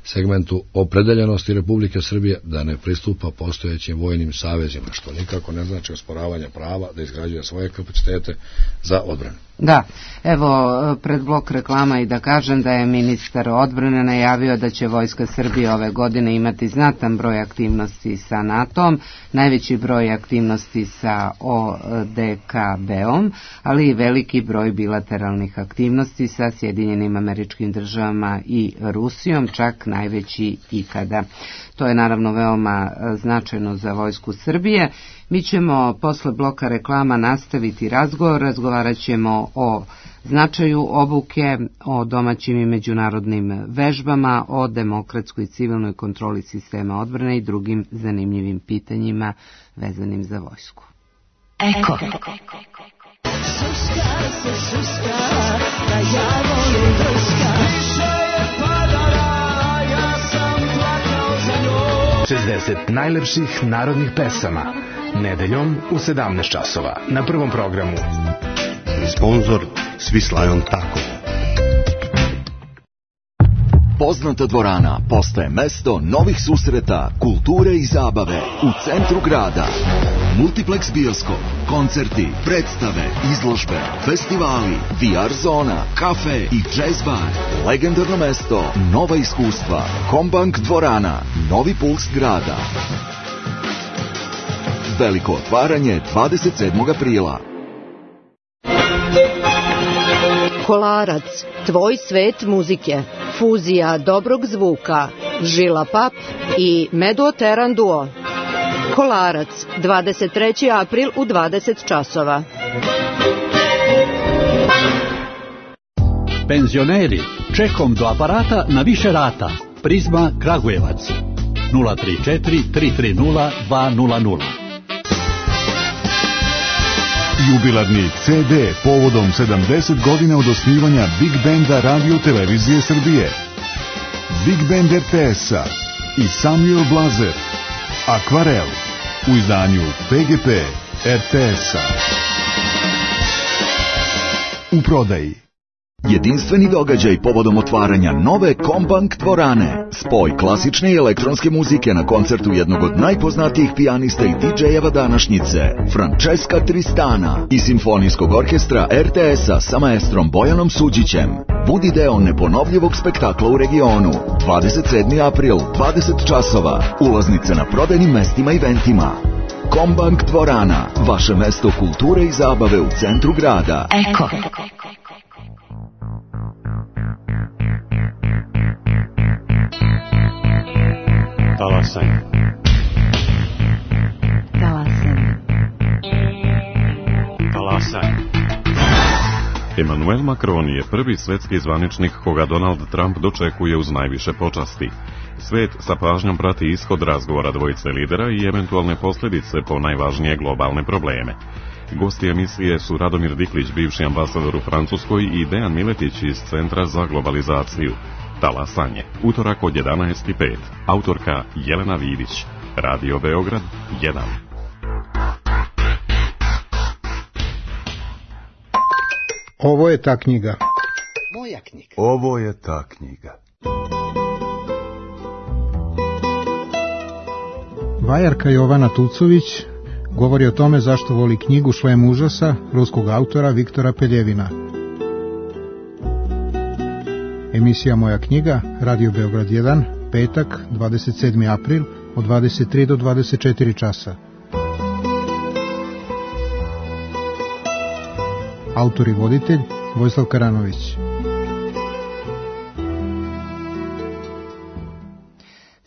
segmentu opredeljenosti Republike Srbije da ne pristupa postojećim vojnim savezima, što nikako ne znači osporavanje prava da izgrađuje svoje kapacitete za odbranu. Da, evo pred blok reklama i da kažem da je ministar odbrane najavio da će Vojska Srbije ove godine imati znatan broj aktivnosti sa NATO-om, najveći broj aktivnosti sa O D K B-om, ali i veliki broj bilateralnih aktivnosti sa Sjedinjenim Američkim Državama i Rusijom, čak najveći ikada. To je naravno veoma značajno za Vojsku Srbije. Mi ćemo posle bloka reklama nastaviti razgovor, razgovarat ćemo o značaju obuke, o domaćim i međunarodnim vežbama, o demokratskoj i civilnoj kontroli sistema odbrane i drugim zanimljivim pitanjima vezanim za vojsku. Eko. šezdeset najlepših narodnih pesama. Nedeljom u sedamnaest časova na Prvom programu. Sponzor Svislajon Tako. Poznata dvorana postaje mesto novih susreta, kulture i zabave u centru grada. Multiplex bioskop, koncerti, predstave, izložbe, festivali, V R zona, kafe i jazz bar. Legendarno mesto, nova iskustva. Kombank dvorana, novi puls grada. Veliko otvaranje dvadeset sedmog aprila. Kolarac, tvoj svet muzike, fuzija dobrog zvuka, Žila Pap i Meduoteran duo. Kolarac, dvadeset treći april u dvadeset časova. Penzioneri, čekom do aparata na više rata. Prizma Kragujevac, nula tri četiri tri tri nula dva nula nula. Jubilarni C D povodom sedamdeset godina od osnivanja Big Benda Radio Televizije Srbije. Big Band R T S-a i Samuel Blazer. Akvarel u izdanju P G P R T S-a. U prodaji. Jedinstveni događaj povodom otvaranja nove Kombank dvorane. Spoj klasične i elektronske muzike na koncertu jednog od najpoznatijih pijanista i D J-eva današnjice, Francesca Tristana, i simfonijskog orkestra R T S-a sa maestrom Bojanom Suđićem. Budi deo neponovljivog spektakla u regionu. dvadeset sedmi april, dvadeset časova. Ulaznice na prodajnim mestima i eventima. Kombank dvorana, vaše mesto kulture i zabave u centru grada. Eko. Talasaj. Talasaj. Talasaj. Emmanuel Macron je prvi svetski zvaničnik koga Donald Trump dočekuje uz najviše počasti. Svet sa pažnjom prati ishod razgovora dvojice lidera i eventualne posljedice po najvažnije globalne probleme. Gosti emisije su Radomir Diklić, bivši ambasador u Francuskoj, i Dejan Miletić iz Centra za globalizaciju. Talasanje, utorak od jedanaest i pet. Autorka Jelena Vidić. Radio Beograd jedan. Ovo je ta knjiga. Moja knjiga. Ovo je ta knjiga. Vajarka Jovana Tucović govori o tome zašto voli knjigu Šlem užasa ruskog autora Viktora Peljevina. Emisija Moja knjiga, Radio Beograd jedan, petak, dvadeset sedmi april, od dvadeset tri do dvadeset četiri časa. Autor i voditelj Vojislav Karanović.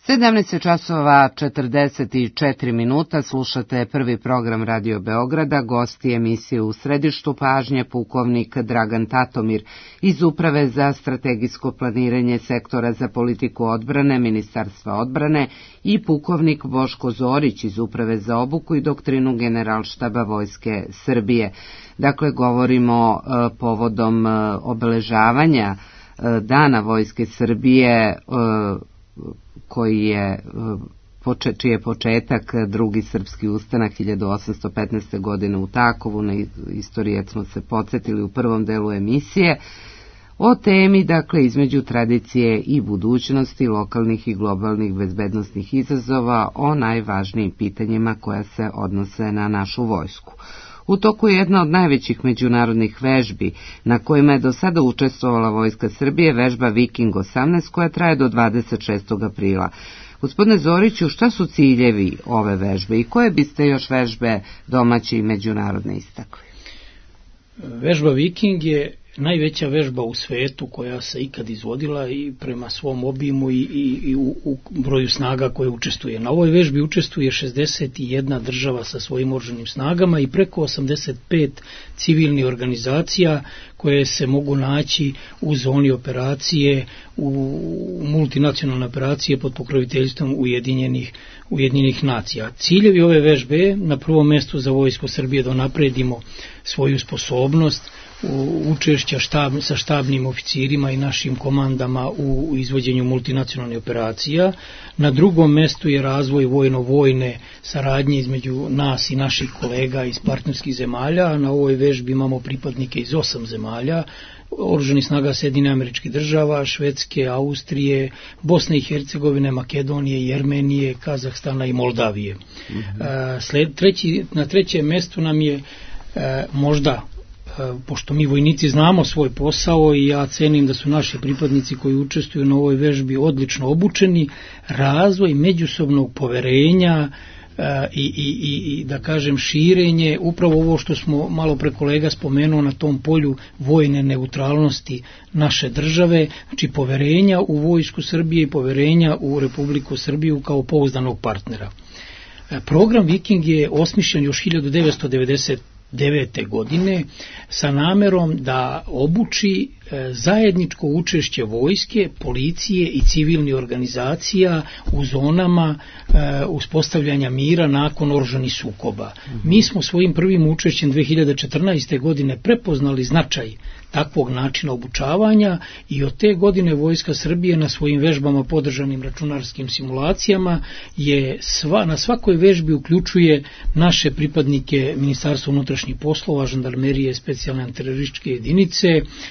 sedamnaest časova četrdeset četiri minuta, slušate prvi program Radio Beograda. Gosti emisije u središtu pažnje pukovnik Dragan Tatomir iz Uprave za strategijsko planiranje sektora za politiku odbrane Ministarstva odbrane i pukovnik Boško Zorić iz Uprave za obuku i doktrinu Generalštaba Vojske Srbije. Dakle, govorimo e, povodom e, obeležavanja e, Dana Vojske Srbije, e, koji je, čiji je početak drugi srpski ustanak hiljadu osamsto petnaeste. godine u Takovu. Na istorijat smo se podsjetili u prvom delu emisije o temi, dakle, između tradicije i budućnosti, lokalnih i globalnih bezbednosnih izazova, o najvažnijim pitanjima koja se odnose na našu vojsku. U toku je jedna od najvećih međunarodnih vežbi na kojima je do sada učestvovala Vojska Srbije, vežba Viking osamnaest, koja traje do dvadeset šestog aprila. Gospodine Zoriću, šta su ciljevi ove vežbe i koje biste još vežbe domaće i međunarodne istakli? Vežba Viking je najveća vežba u svetu koja se ikad izvodila i prema svom obimu i, i, i u, u broju snaga koje učestvuje. Na ovoj vežbi učestvuje šezdeset jedna država sa svojim oružanim snagama i preko osamdeset pet civilnih organizacija koje se mogu naći u zoni operacije, u multinacionalne operacije pod pokroviteljstvom Ujedinjenih, Ujedinjenih nacija. Ciljevi ove vežbe na prvom mjestu za Vojsku Srbije da napredimo svoju sposobnost učešća štab, sa štabnim oficirima i našim komandama u izvođenju multinacionalnih operacija. Na drugom mjestu je razvoj vojno-vojne saradnje između nas i naših kolega iz partnerskih zemalja. Na ovoj vežbi imamo pripadnike iz osam zemalja, oružanih snaga Sjedinjenih Američkih Država, Švedske, Austrije, Bosne i Hercegovine, Makedonije, Jermenije, Kazahstana i Moldavije. Mm-hmm. Sled, treći, na trećem mjestu nam je e, možda, pošto mi vojnici znamo svoj posao i ja cenim da su naši pripadnici koji učestvuju na ovoj vežbi odlično obučeni, razvoj međusobnog poverenja i, i, i da kažem širenje, upravo ovo što smo malo pre kolega spomenuo na tom polju vojne neutralnosti naše države, znači poverenja u Vojsku Srbije i poverenja u Republiku Srbiju kao pouzdanog partnera. Program Viking je osmišljen još hiljadu devetsto devedeset devete godine sa namerom da obuči e, zajedničko učešće vojske, policije i civilnih organizacija u zonama e, uspostavljanja mira nakon oružanih sukoba. Mm-hmm. Mi smo svojim prvim učešćem dve hiljade četrnaeste. godine prepoznali značaj takvog načina obučavanja i od te godine Vojska Srbije na svojim vežbama podržanim računarskim simulacijama je sva, na svakoj vežbi uključuje naše pripadnike Ministarstva unutrašnjih poslova, žandarmerije, specijalne antiterorističke jedinice,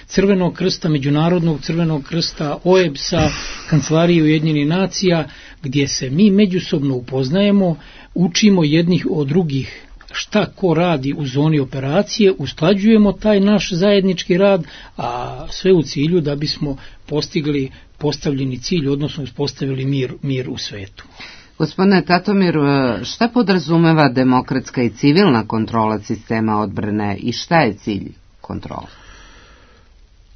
Crvenog krsta, Međunarodnog Crvenog krsta, O E B S-a, Kancelarije Ujedinjenih nacija, gdje se mi međusobno upoznajemo, učimo jednih od drugih šta ko radi u zoni operacije, usklađujemo taj naš zajednički rad, a sve u cilju da bismo postigli postavljeni cilj, odnosno uspostavili mir, mir u svetu. Gospodine Tatomir, šta podrazumeva demokratska i civilna kontrola sistema odbrane i šta je cilj kontrola?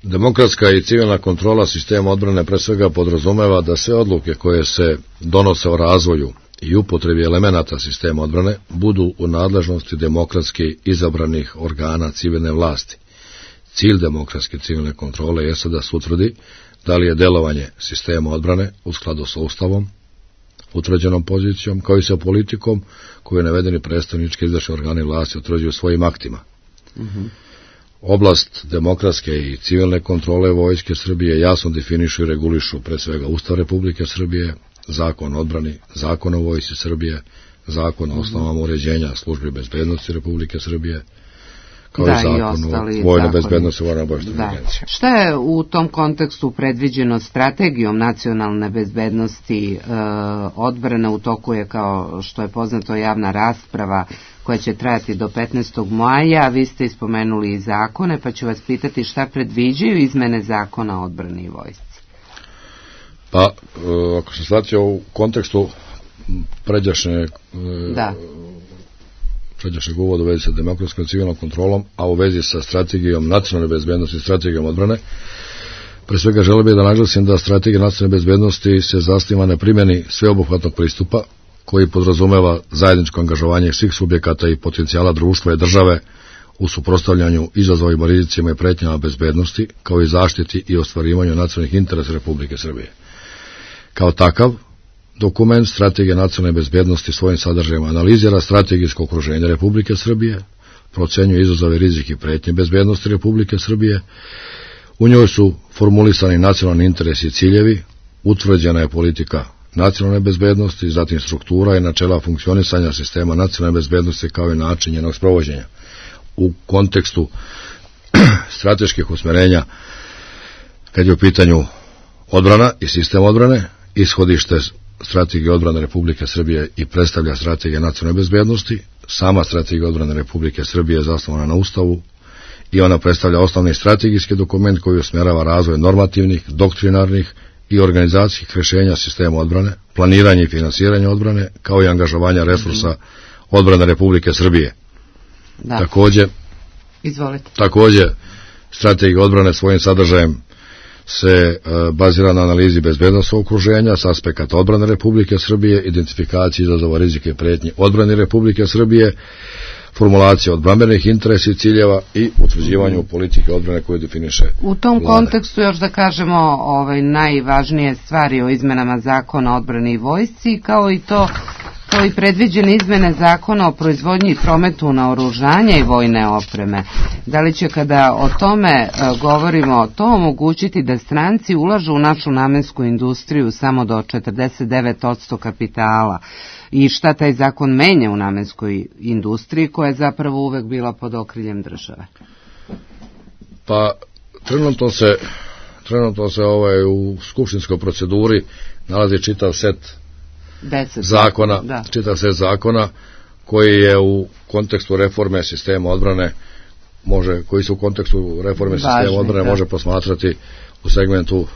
Demokratska i civilna kontrola sistema odbrane pre svega podrazumeva da sve odluke koje se donose o razvoju i upotrebi elemenata sistema odbrane budu u nadležnosti demokratski izabranih organa civilne vlasti. Cilj demokratske civilne kontrole jeste da se utvrdi da li je delovanje sistema odbrane u skladu sa Ustavom, utvrđenom pozicijom, kao i sa politikom koju navedeni predstavnički izvršni organi vlasti utvrđuju svojim aktima. Mm-hmm. Oblast demokratske i civilne kontrole Vojske Srbije jasno definišu i regulišu pre svega Ustav Republike Srbije, Zakon o odbrani, Zakon o Vojsci Srbije, Zakon o osnovama uređenja službi bezbednosti Republike Srbije, kao da, i Zakon o vojnoj bezbednosti i vojno-obavještajnoj agenciji. Šta je u tom kontekstu predviđeno strategijom nacionalne bezbednosti e, odbrane? U toku je, kao što je poznato, javna rasprava koja će trajati do petnaestog maja. Vi ste ispomenuli i zakone, pa ću vas pitati šta predviđaju izmene Zakona o odbrani i vojsci. Pa, ako se shvatio u kontekstu pređašnje da. pređašnjeg uvoda u vezi sa demokratskom i civilnom kontrolom, a u vezi sa strategijom nacionalne bezbednosti i strategijom odbrane, pre svega želeo bih da naglasim da strategija nacionalne bezbednosti se zasniva na primjeni sveobuhvatnog pristupa koji podrazumeva zajedničko angažovanje svih subjekata i potencijala društva i države u suprotstavljanju izazovima, rizicima i pretnjama bezbednosti, kao i zaštiti i ostvarivanju nacionalnih interesa Republike Srbije. Kao takav, dokument Strategije nacionalne bezbednosti svojim sadržajem analizira strategijsko okruženje Republike Srbije, procenjuje izazove, rizike i pretnje bezbednosti Republike Srbije, u njoj su formulisani nacionalni interesi i ciljevi, utvrđena je politika nacionalne bezbednosti, zatim struktura i načela funkcionisanja sistema nacionalne bezbednosti kao i način njenog sprovođenja. U kontekstu strateških usmerenja, kad je u pitanju odbrana i sistem odbrane, ishodište strategije odbrane Republike Srbije i predstavlja strategija nacionalne bezbednosti. Sama strategija odbrane Republike Srbije je zasnovana na Ustavu i ona predstavlja osnovni strategijski dokument koji usmjerava razvoj normativnih, doktrinarnih i organizacijskih rješenja sistema odbrane, planiranje i finansiranje odbrane, kao i angažovanja resursa odbrane Republike Srbije. Da. Takođe, Izvolite. takođe Strategija odbrane svojim sadržajem se bazira na analizi bezbednosnog okruženja s aspekata odbrane Republike Srbije, identifikaciji izazova, rizike i pretnje odbrane Republike Srbije, formulacija odbrambenih interesa i ciljeva i utvrđivanju politike odbrane koje definiše U tom Vlada. kontekstu još da kažemo ovaj, najvažnije stvari o izmenama zakona o odbrani i vojsci, kao i to kao i predviđene izmene zakona o proizvodnji i prometu naoružanja i vojne opreme. Da li će kada o tome e, govorimo to omogućiti da stranci ulažu u našu namensku industriju samo do četrdeset devet posto kapitala i šta taj zakon menja u namenskoj industriji koja je zapravo uvek bila pod okriljem države? Pa trenutno se trenutno se ovaj, u skupštinskoj proceduri nalazi čitav set Deset. zakona, Da. čitav set zakona koji je u kontekstu reforme sistema odbrane može, koji su u kontekstu reforme Važni, sistema odbrane da. može posmatrati u segmentu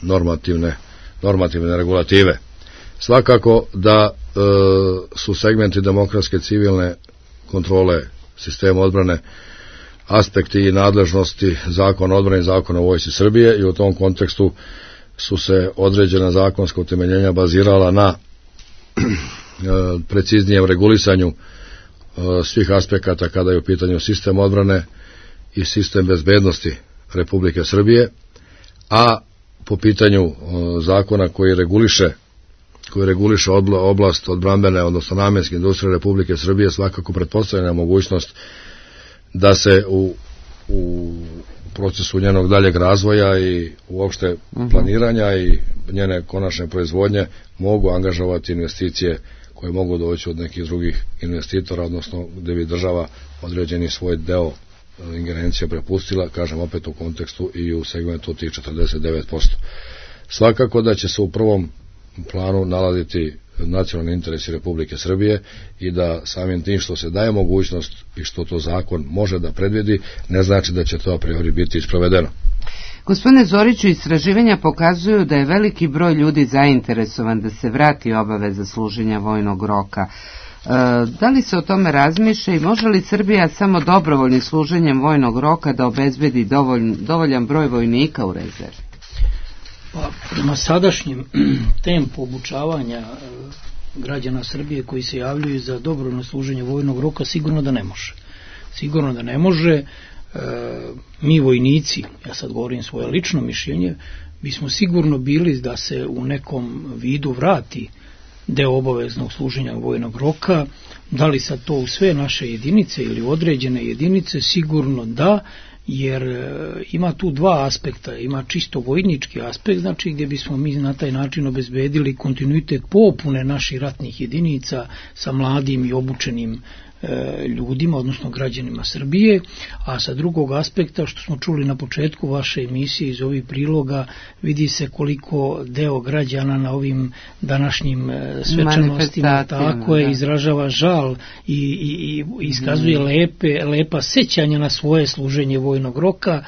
normativne normativne regulative. Svakako da e, su segmenti demokratske civilne kontrole sistema odbrane aspekti i nadležnosti zakona o odbrani i zakona o vojsci Srbije i u tom kontekstu su se određena zakonska utemeljenja bazirala na preciznijem regulisanju svih aspekata kada je u pitanju sistem odbrane i sistem bezbednosti Republike Srbije, a po pitanju zakona koji reguliše koji reguliše oblast odbrambene, odnosno namenske industrije Republike Srbije, svakako pretpostavljena mogućnost da se u, u procesu njenog daljeg razvoja i uopšte planiranja i njene konačne proizvodnje mogu angažovati investicije koje mogu doći od nekih drugih investitora, odnosno gde bi država određeni svoj deo ingerencija prepustila, kažem opet u kontekstu i u segmentu tih četrdeset devet posto. Svakako da će se u prvom planu nalaziti nacionalni interesi Republike Srbije i da samim tim što se daje mogućnost i što to zakon može da predvidi, ne znači da će to a priori biti isprovedeno. Gospodine Zoriću, istraživanja pokazuju da je veliki broj ljudi zainteresovan da se vrati obaveza služenja vojnog roka. E, da li se o tome razmišlja i može li Srbija samo dobrovoljnim služenjem vojnog roka da obezbedi dovolj, dovoljan broj vojnika u rezervi? Pa, prema sadašnjem tempu obučavanja građana Srbije koji se javljaju za dobrovoljno služenje vojnog roka, sigurno da ne može. Sigurno da ne može. E, mi vojnici, ja sad govorim svoje lično mišljenje, bismo sigurno bili da se u nekom vidu vrati deo obaveznog služenja vojnog roka. Da li sad to u sve naše jedinice ili određene jedinice, sigurno da, jer ima tu dva aspekta. Ima čisto vojnički aspekt, znači gdje bismo mi na taj način obezbedili kontinuitet popune naših ratnih jedinica sa mladim i obučenim e, ljudima, odnosno građanima Srbije, a sa drugog aspekta, što smo čuli na početku vaše emisije iz ovih priloga, vidi se koliko deo građana na ovim današnjim e, svečanostima tako je, izražava žal i, i, i iskazuje lepe, lepa sećanja na svoje služenje vojnog roka.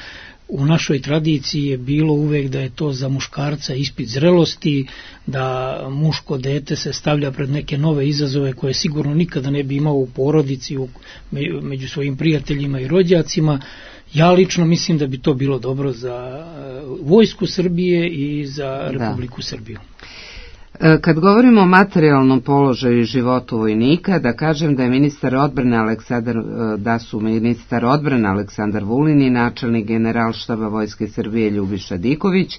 U našoj tradiciji je bilo uvek da je to za muškarca ispit zrelosti, da muško dete se stavlja pred neke nove izazove koje sigurno nikada ne bi imao u porodici, u, među svojim prijateljima i rođacima. Ja lično mislim da bi to bilo dobro za vojsku Srbije i za Republiku da. Srbiju. Kad govorimo o materijalnom položaju i životu vojnika, da kažem da je ministar odbrane Aleksandar, da su ministar odbrane Aleksandar Vulin i načelnik generalštaba Vojske Srbije Ljubiša Diković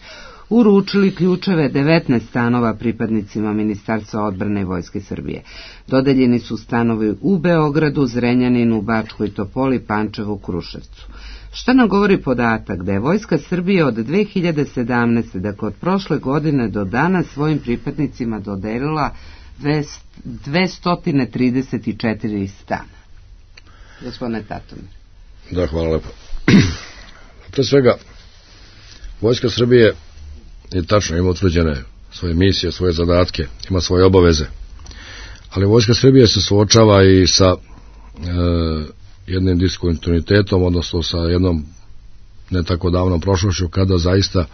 uručili ključeve devetnaest stanova pripadnicima Ministarstva odbrane i Vojske Srbije. Dodeljeni su stanovi u Beogradu, Zrenjaninu, Bačkoj Topoli, Pančevu, Kruševcu. Šta nam govori podatak da je Vojska Srbije od dve hiljade sedamnaeste. dakle od prošle godine do danas svojim pripadnicima dodelila dvesta trideset četiri stana? Gospodine Tatomir. Da, hvala lepo. Pre svega, Vojska Srbije je tačno ima utvrđene svoje misije, svoje zadatke, ima svoje obaveze, ali Vojska Srbije se suočava i sa e, jednim diskontinuitetom, odnosno sa jednom ne tako davnom prošlošću kada zaista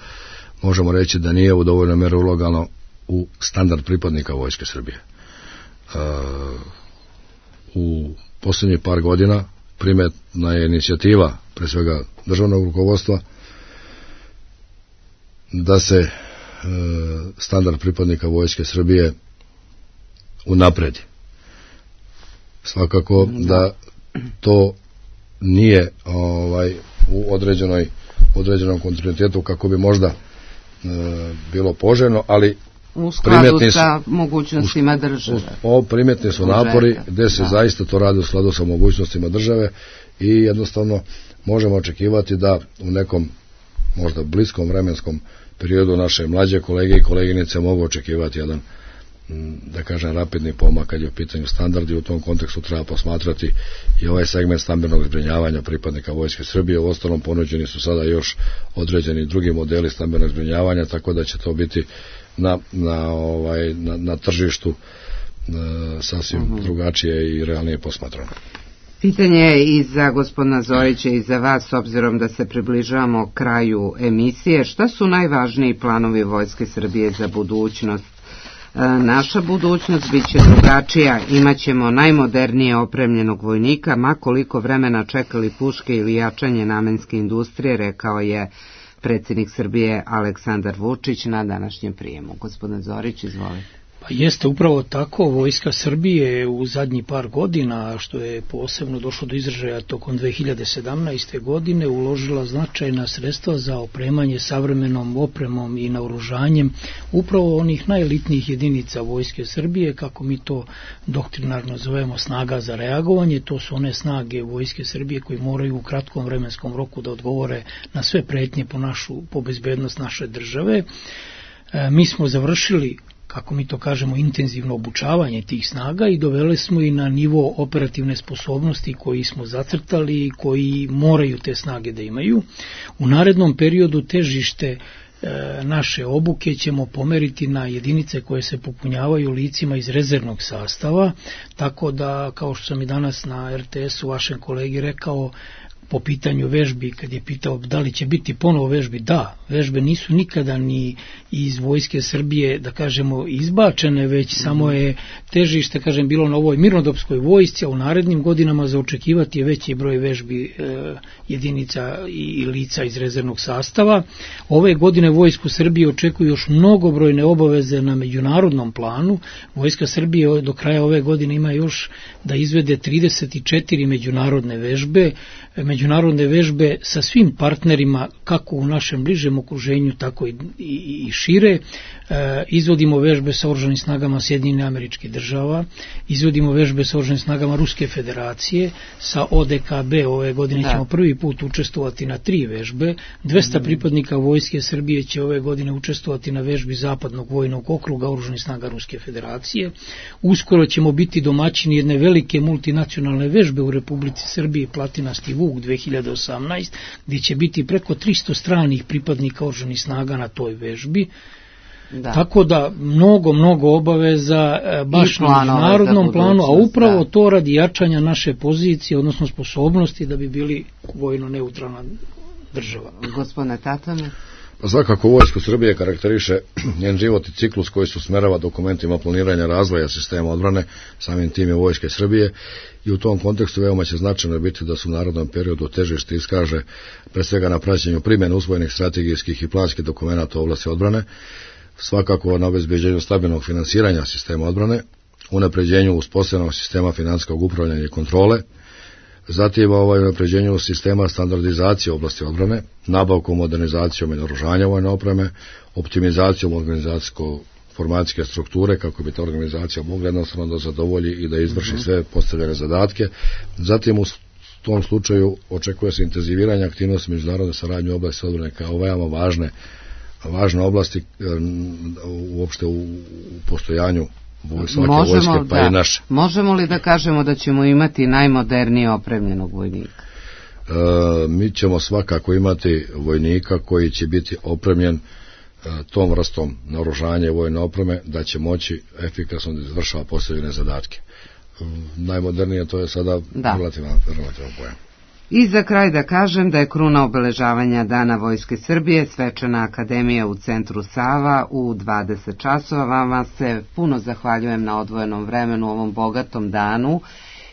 možemo reći da nije u dovoljnoj meri ulagano u standard pripadnika Vojske Srbije. E, u posljednjih par godina primetna je inicijativa pre svega državnog rukovodstva, da se e, standard pripadnika Vojske Srbije unapredi. Svakako da to nije ovaj u određenoj određenom kontinuitetu kako bi možda e, bilo poželjno, ali u skladu sa mogućnostima države. O, primjetni su napori gde se da. zaista to radi u skladu sa mogućnostima države i jednostavno možemo očekivati da u nekom možda bliskom vremenskom periodu naše mlađe kolege i koleginice mogu očekivati jedan, da kažem, rapidni pomak kad je u pitanju standardi. U tom kontekstu treba posmatrati i ovaj segment stambenog zbrinjavanja pripadnika Vojske Srbije. U ostalom ponuđeni su sada još određeni drugi modeli stambenog zbrinjavanja, tako da će to biti na, na, ovaj, na, na tržištu e, sasvim uh-huh. drugačije i realnije posmatrano. Pitanje je i za gospodina Zorića i za vas, s obzirom da se približavamo kraju emisije. Šta su najvažniji planovi Vojske Srbije za budućnost? Naša budućnost bit će drugačija, imaćemo najmodernije opremljenog vojnika, ma koliko vremena čekali puške ili jačanje namenske industrije, rekao je predsjednik Srbije Aleksandar Vučić na današnjem prijemu. Gospodin Zorić, izvolite. Pa jeste upravo tako, Vojska Srbije u zadnji par godina, što je posebno došlo do izražaja tokom dve hiljade sedamnaeste. godine, uložila značajna sredstva za opremanje savremenom opremom i naoružanjem upravo onih najelitnijih jedinica Vojske Srbije, kako mi to doktrinarno zovemo snaga za reagovanje. To su one snage Vojske Srbije koji moraju u kratkom vremenskom roku da odgovore na sve pretnje po, našu, po bezbednost naše države. E, mi smo završili, kako mi to kažemo, intenzivno obučavanje tih snaga i doveli smo i na nivo operativne sposobnosti koji smo zacrtali i koji moraju te snage da imaju. U narednom periodu težište e, naše obuke ćemo pomeriti na jedinice koje se popunjavaju licima iz rezervnog sastava, tako da, kao što sam i danas na er te esu vašem kolegi rekao, po pitanju vežbi, kad je pitao da li će biti ponovo vežbi, da, vežbe nisu nikada ni iz Vojske Srbije, da kažemo, izbačene, već mm. samo je težište, kažem, bilo na ovoj mirnodopskoj vojsci, a u narednim godinama za očekivati je veći broj vežbi e, jedinica i, i lica iz rezervnog sastava. Ove godine Vojsku Srbije očekuju još mnogobrojne obaveze na međunarodnom planu. Vojska Srbije do kraja ove godine ima još da izvede trideset četiri međunarodne vežbe, međunarodne vežbe sa svim partnerima, kako u našem bližem okruženju, tako i, i, i šire. E, izvodimo vežbe sa oružanim snagama Sjedinjenih Američkih Država, izvodimo vežbe sa oružanim snagama Ruske Federacije, sa o de ka be ove godine da. ćemo prvi put učestvovati na tri vežbe, dvesta mm. pripadnika Vojske Srbije će ove godine učestvovati na vežbi Zapadnog vojnog okruga oružanih snaga Ruske Federacije. Uskoro ćemo biti domaćini jedne velike multinacionalne vežbe u Republici Srbiji, Platinasti Vuk dve hiljade osamnaeste. gdje će biti preko tristo stranih pripadnika oružanih snaga na toj vežbi. Da. Tako da mnogo, mnogo obaveza baš na međunarodnom planu, a upravo da. to radi jačanja naše pozicije, odnosno sposobnosti da bi bili vojno neutralna država. Gospodine Tatane? Svakako Vojsku Srbije karakteriše njen život i ciklus koji se usmerava dokumentima planiranja razvoja sistema odbrane, samim tim je Vojske Srbije, i u tom kontekstu veoma će značajno biti da su u narodnom periodu težište iskaže pre svega na praćenju primjene usvojenih strategijskih i planskih dokumenata u oblasti odbrane, svakako na obezbeđenju stabilnog finansiranja sistema odbrane, unapređenju uspostavljenog sistema finansijskog upravljanja i kontrole, zatim ovaj unapređenju sistema standardizacije u oblasti odbrane, nabavkom, modernizacijom i naoružanja vojne opreme, optimizacijom organizacijsko-formacijske strukture kako bi ta organizacija mogla jednostavno da zadovolji i da izvrši mm-hmm. sve postavljene zadatke. Zatim u tom slučaju očekuje se intenziviranje aktivnosti međunarodne saradnje u oblasti odbrane kao veoma važne, važne oblasti uopšte u, u postojanju svake vojske, pa da, i naše. Možemo li da kažemo da ćemo imati najmodernije opremljenog vojnika? E, mi ćemo svakako imati vojnika koji će biti opremljen e, tom vrstom naoružanja i vojne opreme, da će moći efikasno da izvršava postavljene zadatke. E, najmodernije to je sada da. relativno, relativno pojam. I za kraj da kažem da je kruna obeležavanja Dana Vojske Srbije svečana akademija u centru Sava u dvadeset časova. Vama se puno zahvaljujem na odvojenom vremenu u ovom bogatom danu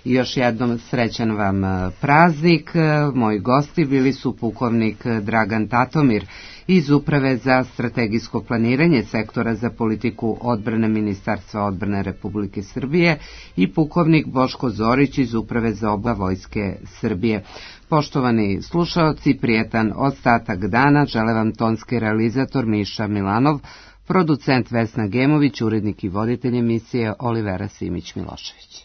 I još jednom srećan vam praznik. Moji gosti bili su pukovnik Dragan Tatomir iz Uprave za strategijsko planiranje sektora za politiku odbrane Ministarstva odbrane Republike Srbije i pukovnik Boško Zorić iz Uprave za oba Vojske Srbije. Poštovani slušaoci, prijetan ostatak dana žele vam tonski realizator Miša Milanov, producent Vesna Gemović, urednik i voditelj emisije Olivera Simić-Milošević.